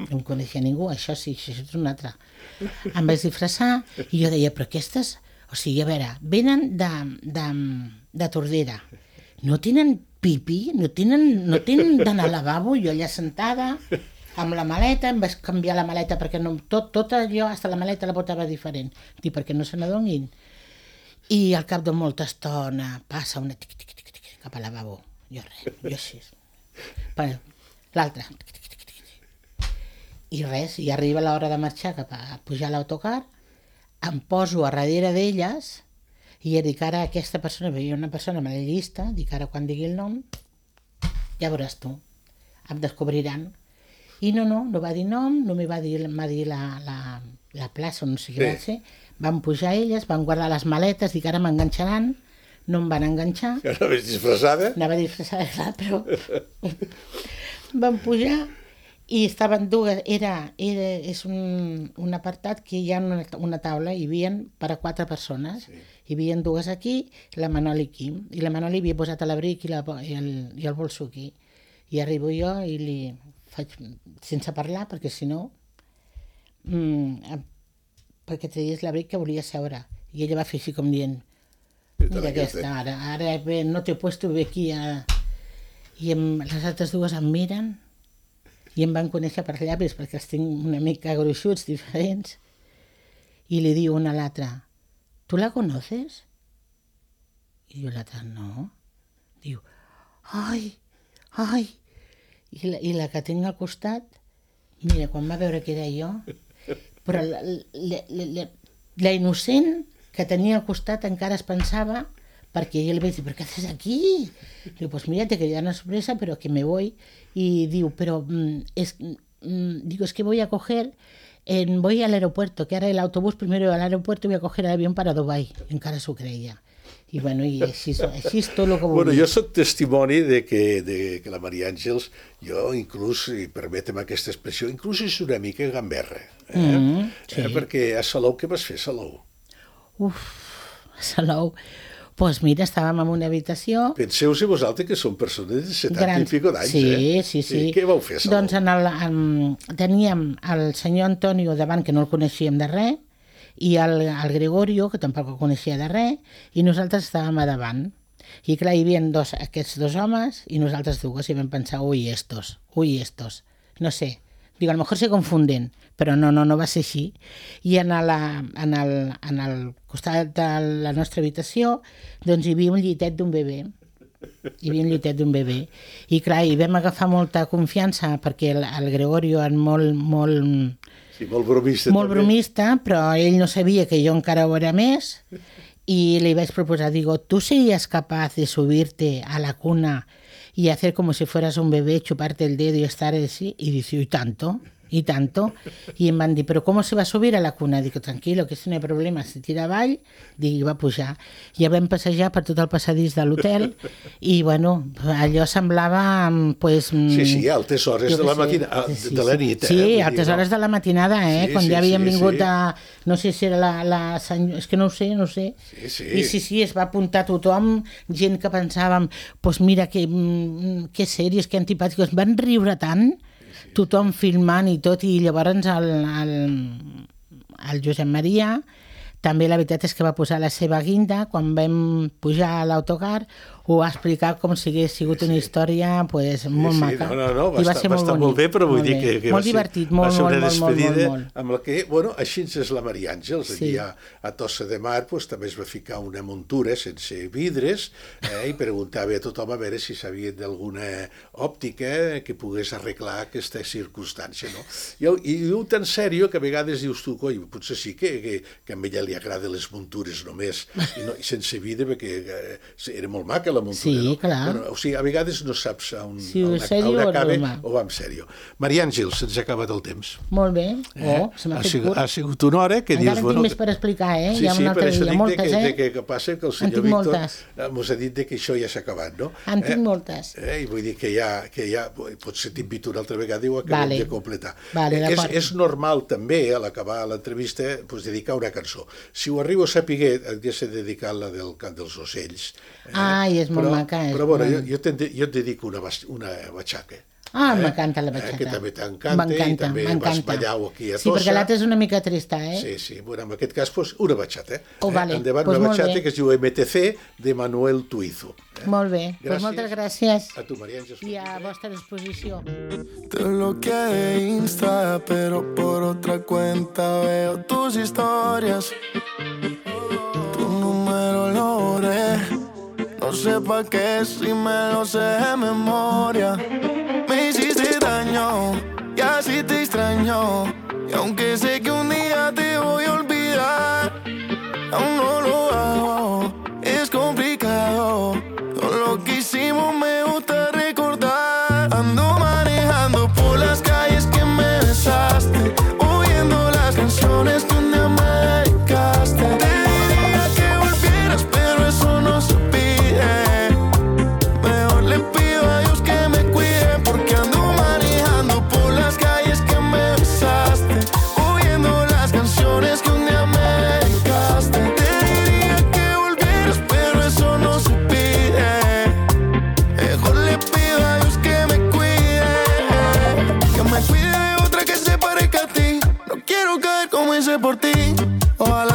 Speaker 3: No em coneixia ningú, això sí, això és un altre. Em vaig disfressar i jo deia, però aquestes, o sigui, a veure, venen de, de, de Tordera, no tenen pipí, no tenen, no tenen d'anar al lavabo, jo allà sentada, amb la maleta, em vaig canviar la maleta perquè no, tot, tot allò, fins la maleta la portava diferent, dic, perquè no se n'adonin. I al cap de molta estona passa una tic, tic, tic, tic, cap al lavabo, jo res, jo així. L'altra, i res, i arriba l'hora de marxar cap a pujar a l'autocar, em poso a darrere d'elles i ja dic, ara aquesta persona, veia una persona a la llista, dic, ara quan digui el nom, ja veuràs tu, em descobriran. I no, no, no va dir nom, només va dir, va dir la, la, la plaça, no sé què va ser, van pujar elles, van guardar les maletes, dic, ara m'enganxaran, no em van enganxar.
Speaker 2: Que anaves disfressada?
Speaker 3: Anava disfressada, clar, però van pujar i estaven dues, era, era és un, un apartat que hi ha una, una taula, hi havia per a quatre persones, sí. Hi havia dues aquí, la Manoli aquí, i la Manoli havia posat l'abric i, la, i, el, i el bolso aquí. I arribo jo i li faig, sense parlar, perquè si no, mmm, perquè traies l'abric que volia seure. I ella va fer així com dient, Mira aquesta, ara, ara bé, no t'he puesto bé aquí a... i em, les altres dues em miren i em van conèixer per llavis perquè els tinc una mica gruixuts, diferents, i li diu una a l'altra, ¿tu la conoces? I jo l'altra, no. Diu, ai, ai, i la, i la que tinc al costat, mira, quan va veure que era jo, però la, la, la, la innocent que tenia al costat encara es pensava, perquè jo li vaig dir, ¿pero qué haces aquí? Diu, pues mira, te quería una sorpresa, pero que me voy. Y diu, pero mm, es, mm, digo, es que voy a coger, en, voy al aeropuerto, que ahora el autobús primero al aeropuerto y voy a coger el avión para Dubai. Encara s'ho creia. I bueno, i així, així és tot el que vull
Speaker 2: Bueno,
Speaker 3: dir.
Speaker 2: jo soc testimoni de que, de que la Maria Àngels, jo inclús, i permetem aquesta expressió, inclús és una mica gamberra. Eh?
Speaker 3: Mm, sí.
Speaker 2: eh, perquè a Salou, què vas fer a Salou?
Speaker 3: Uf, a Salou. Doncs pues mira, estàvem en una habitació...
Speaker 2: Penseu-se vosaltres que són persones de setanta
Speaker 3: grans.
Speaker 2: i pico d'anys,
Speaker 3: sí,
Speaker 2: eh?
Speaker 3: Sí, sí,
Speaker 2: I què vau fer a Salou?
Speaker 3: Doncs en el, en, teníem el senyor Antonio davant, que no el coneixíem de res, i el, el Gregorio, que tampoc el coneixia de res, i nosaltres estàvem a davant. I clar, hi havia dos, aquests dos homes i nosaltres dues, i vam pensar, ui, estos, ui, estos. No sé, digo, a lo mejor se confunden, però no, no, no va ser així. I en, la, en, el, en el costat de la nostra habitació, doncs hi havia un llitet d'un bebè. Hi havia un llitet d'un bebè. I clar, hi vam agafar molta confiança, perquè el, el Gregorio és molt, molt,
Speaker 2: Sí, molt bromista.
Speaker 3: molt
Speaker 2: també.
Speaker 3: bromista, però ell no sabia que jo encara ho era més, y le iba a proposar, digo, ¿tú serías capaz de subirte a la cuna y hacer como si fueras un bebé, chuparte el dedo y estar así? Y dice, ¿y tanto? ¿Y tanto? I em van dir, ¿pero cómo se va a subir a la cuna? Dic, tranquilo, que si no hi ha problema, se tira avall. Dic, i va pujar. Ja vam passejar per tot el passadís de l'hotel i, bueno, allò semblava, pues...
Speaker 2: Sí, sí, a altes hores de la,
Speaker 3: sé,
Speaker 2: matina,
Speaker 3: sí, sí,
Speaker 2: de la
Speaker 3: sí.
Speaker 2: nit.
Speaker 3: Sí,
Speaker 2: eh?
Speaker 3: a altes hores de la matinada, eh?
Speaker 2: Sí,
Speaker 3: Quan
Speaker 2: sí,
Speaker 3: ja havien
Speaker 2: sí,
Speaker 3: vingut
Speaker 2: sí.
Speaker 3: a... No sé si era la, la senyor... És que no ho sé, no ho sé.
Speaker 2: Sí, sí.
Speaker 3: I sí, sí, es va apuntar tothom, gent que pensàvem, pues mira, que, mm, que sèries, que antipàtics, van riure tant, tothom filmant i tot, i llavors el, el, el Josep Maria també la veritat és que va posar la seva guinda quan vam pujar a l'autocar, ho va explicar com si hagués sigut una història pues, molt
Speaker 2: sí, sí,
Speaker 3: maca.
Speaker 2: no, no, no, va,
Speaker 3: I va
Speaker 2: estar,
Speaker 3: ser
Speaker 2: va
Speaker 3: molt
Speaker 2: estar
Speaker 3: bonic,
Speaker 2: molt bé, però vull
Speaker 3: molt
Speaker 2: dir
Speaker 3: bé.
Speaker 2: que, que
Speaker 3: molt
Speaker 2: va ser,
Speaker 3: divertit,
Speaker 2: va
Speaker 3: molt,
Speaker 2: ser una
Speaker 3: molt, molt, molt,
Speaker 2: despedida
Speaker 3: molt, molt.
Speaker 2: amb la que, bueno, així és la Maria Àngels,
Speaker 3: Sí.
Speaker 2: allí a, a Tossa de Mar pues, també es va ficar una muntura sense vidres eh, i preguntava a tothom a veure si sabien d'alguna òptica que pogués arreglar aquesta circumstància, no? I, i diu tan sèrio que a vegades dius tu, coi, potser sí que, que, que a ella li agraden les muntures només, i, no, i sense vidre, perquè eh, era molt maca la muntura,
Speaker 3: Sí,
Speaker 2: no?
Speaker 3: clar.
Speaker 2: Bueno, o sigui, a vegades no saps on,
Speaker 3: Si
Speaker 2: on,
Speaker 3: és sèrio
Speaker 2: on
Speaker 3: o
Speaker 2: acaba
Speaker 3: broma.
Speaker 2: o va en sèrio. Maria Àngels, se'ns ha acabat el temps.
Speaker 3: Molt bé,
Speaker 2: Eh?
Speaker 3: oh, se m'ha
Speaker 2: ha,
Speaker 3: fet
Speaker 2: sigut,
Speaker 3: curt.
Speaker 2: ha sigut una hora que
Speaker 3: Encara
Speaker 2: dius...
Speaker 3: en tinc més per explicar, eh?
Speaker 2: Sí,
Speaker 3: Hi ha
Speaker 2: sí,
Speaker 3: un
Speaker 2: per
Speaker 3: altre
Speaker 2: això
Speaker 3: dia,
Speaker 2: dic
Speaker 3: moltes,
Speaker 2: de que,
Speaker 3: eh?
Speaker 2: de que, que passa que el
Speaker 3: En
Speaker 2: senyor
Speaker 3: tinc
Speaker 2: Víctor
Speaker 3: moltes.
Speaker 2: eh, mos ha dit de que això ja s'ha acabat, no?
Speaker 3: En tinc moltes.
Speaker 2: Eh, I vull dir que ja, que ja potser t'invito una altra vegada i ho acabem
Speaker 3: Vale.
Speaker 2: de completar.
Speaker 3: Vale,
Speaker 2: Eh, és,
Speaker 3: d'acord.
Speaker 2: és normal també, a l'acabar l'entrevista, pues, dedicar una cançó. Si ho arribo a saber, hauria de dedicar la del Cant dels Ocells. Eh?
Speaker 3: Ai, és molt
Speaker 2: però,
Speaker 3: maca, és
Speaker 2: Però bueno,
Speaker 3: molt-
Speaker 2: jo, jo, te, jo et dedico una, bas- una batxaca.
Speaker 3: Ah,
Speaker 2: Eh?
Speaker 3: m'encanta la
Speaker 2: Eh,
Speaker 3: batxata.
Speaker 2: que també t'encanta i també vas
Speaker 3: m'encanta.
Speaker 2: ballar-ho aquí a
Speaker 3: Sí,
Speaker 2: Tossa.
Speaker 3: perquè l'altra és una mica trista, eh?
Speaker 2: Sí, sí. Bueno, en aquest cas, pues, una batxata. Eh?
Speaker 3: Oh, vale.
Speaker 2: Endavant,
Speaker 3: Pues
Speaker 2: una
Speaker 3: molt
Speaker 2: batxata
Speaker 3: bé.
Speaker 2: que es diu M T C de Manuel Tuizo. Eh?
Speaker 3: Molt bé, doncs
Speaker 2: Gràcies.
Speaker 3: moltes gràcies
Speaker 2: A tu, Maria Àngels.
Speaker 3: i a vostra disposició.
Speaker 4: Te bloqueé de Insta, pero por otra cuenta veo tus historias. Tu número lo borré, no sé pa' qué si me lo sé de memoria. Me hiciste daño y así te extraño, y aunque sé que un día te voy a olvidar, aún no lo hago, es complicado. Todo lo que hicimos me gusta recordar. Ando manejando por las calles que me besaste, oyendo las canciones que un día me dedicaste. Te diría que volvieras, pero eso no se pide. Mejor le pido a Dios que me cuide, porque ando manejando por las calles que me besaste, oyendo las canciones que un día me dedicaste. Te diría que volvieras, pero eso no se pide. Mejor le pido a Dios que me cuide, que me cuide de otra que se parezca a ti. No quiero caer como hice por ti. Ojalá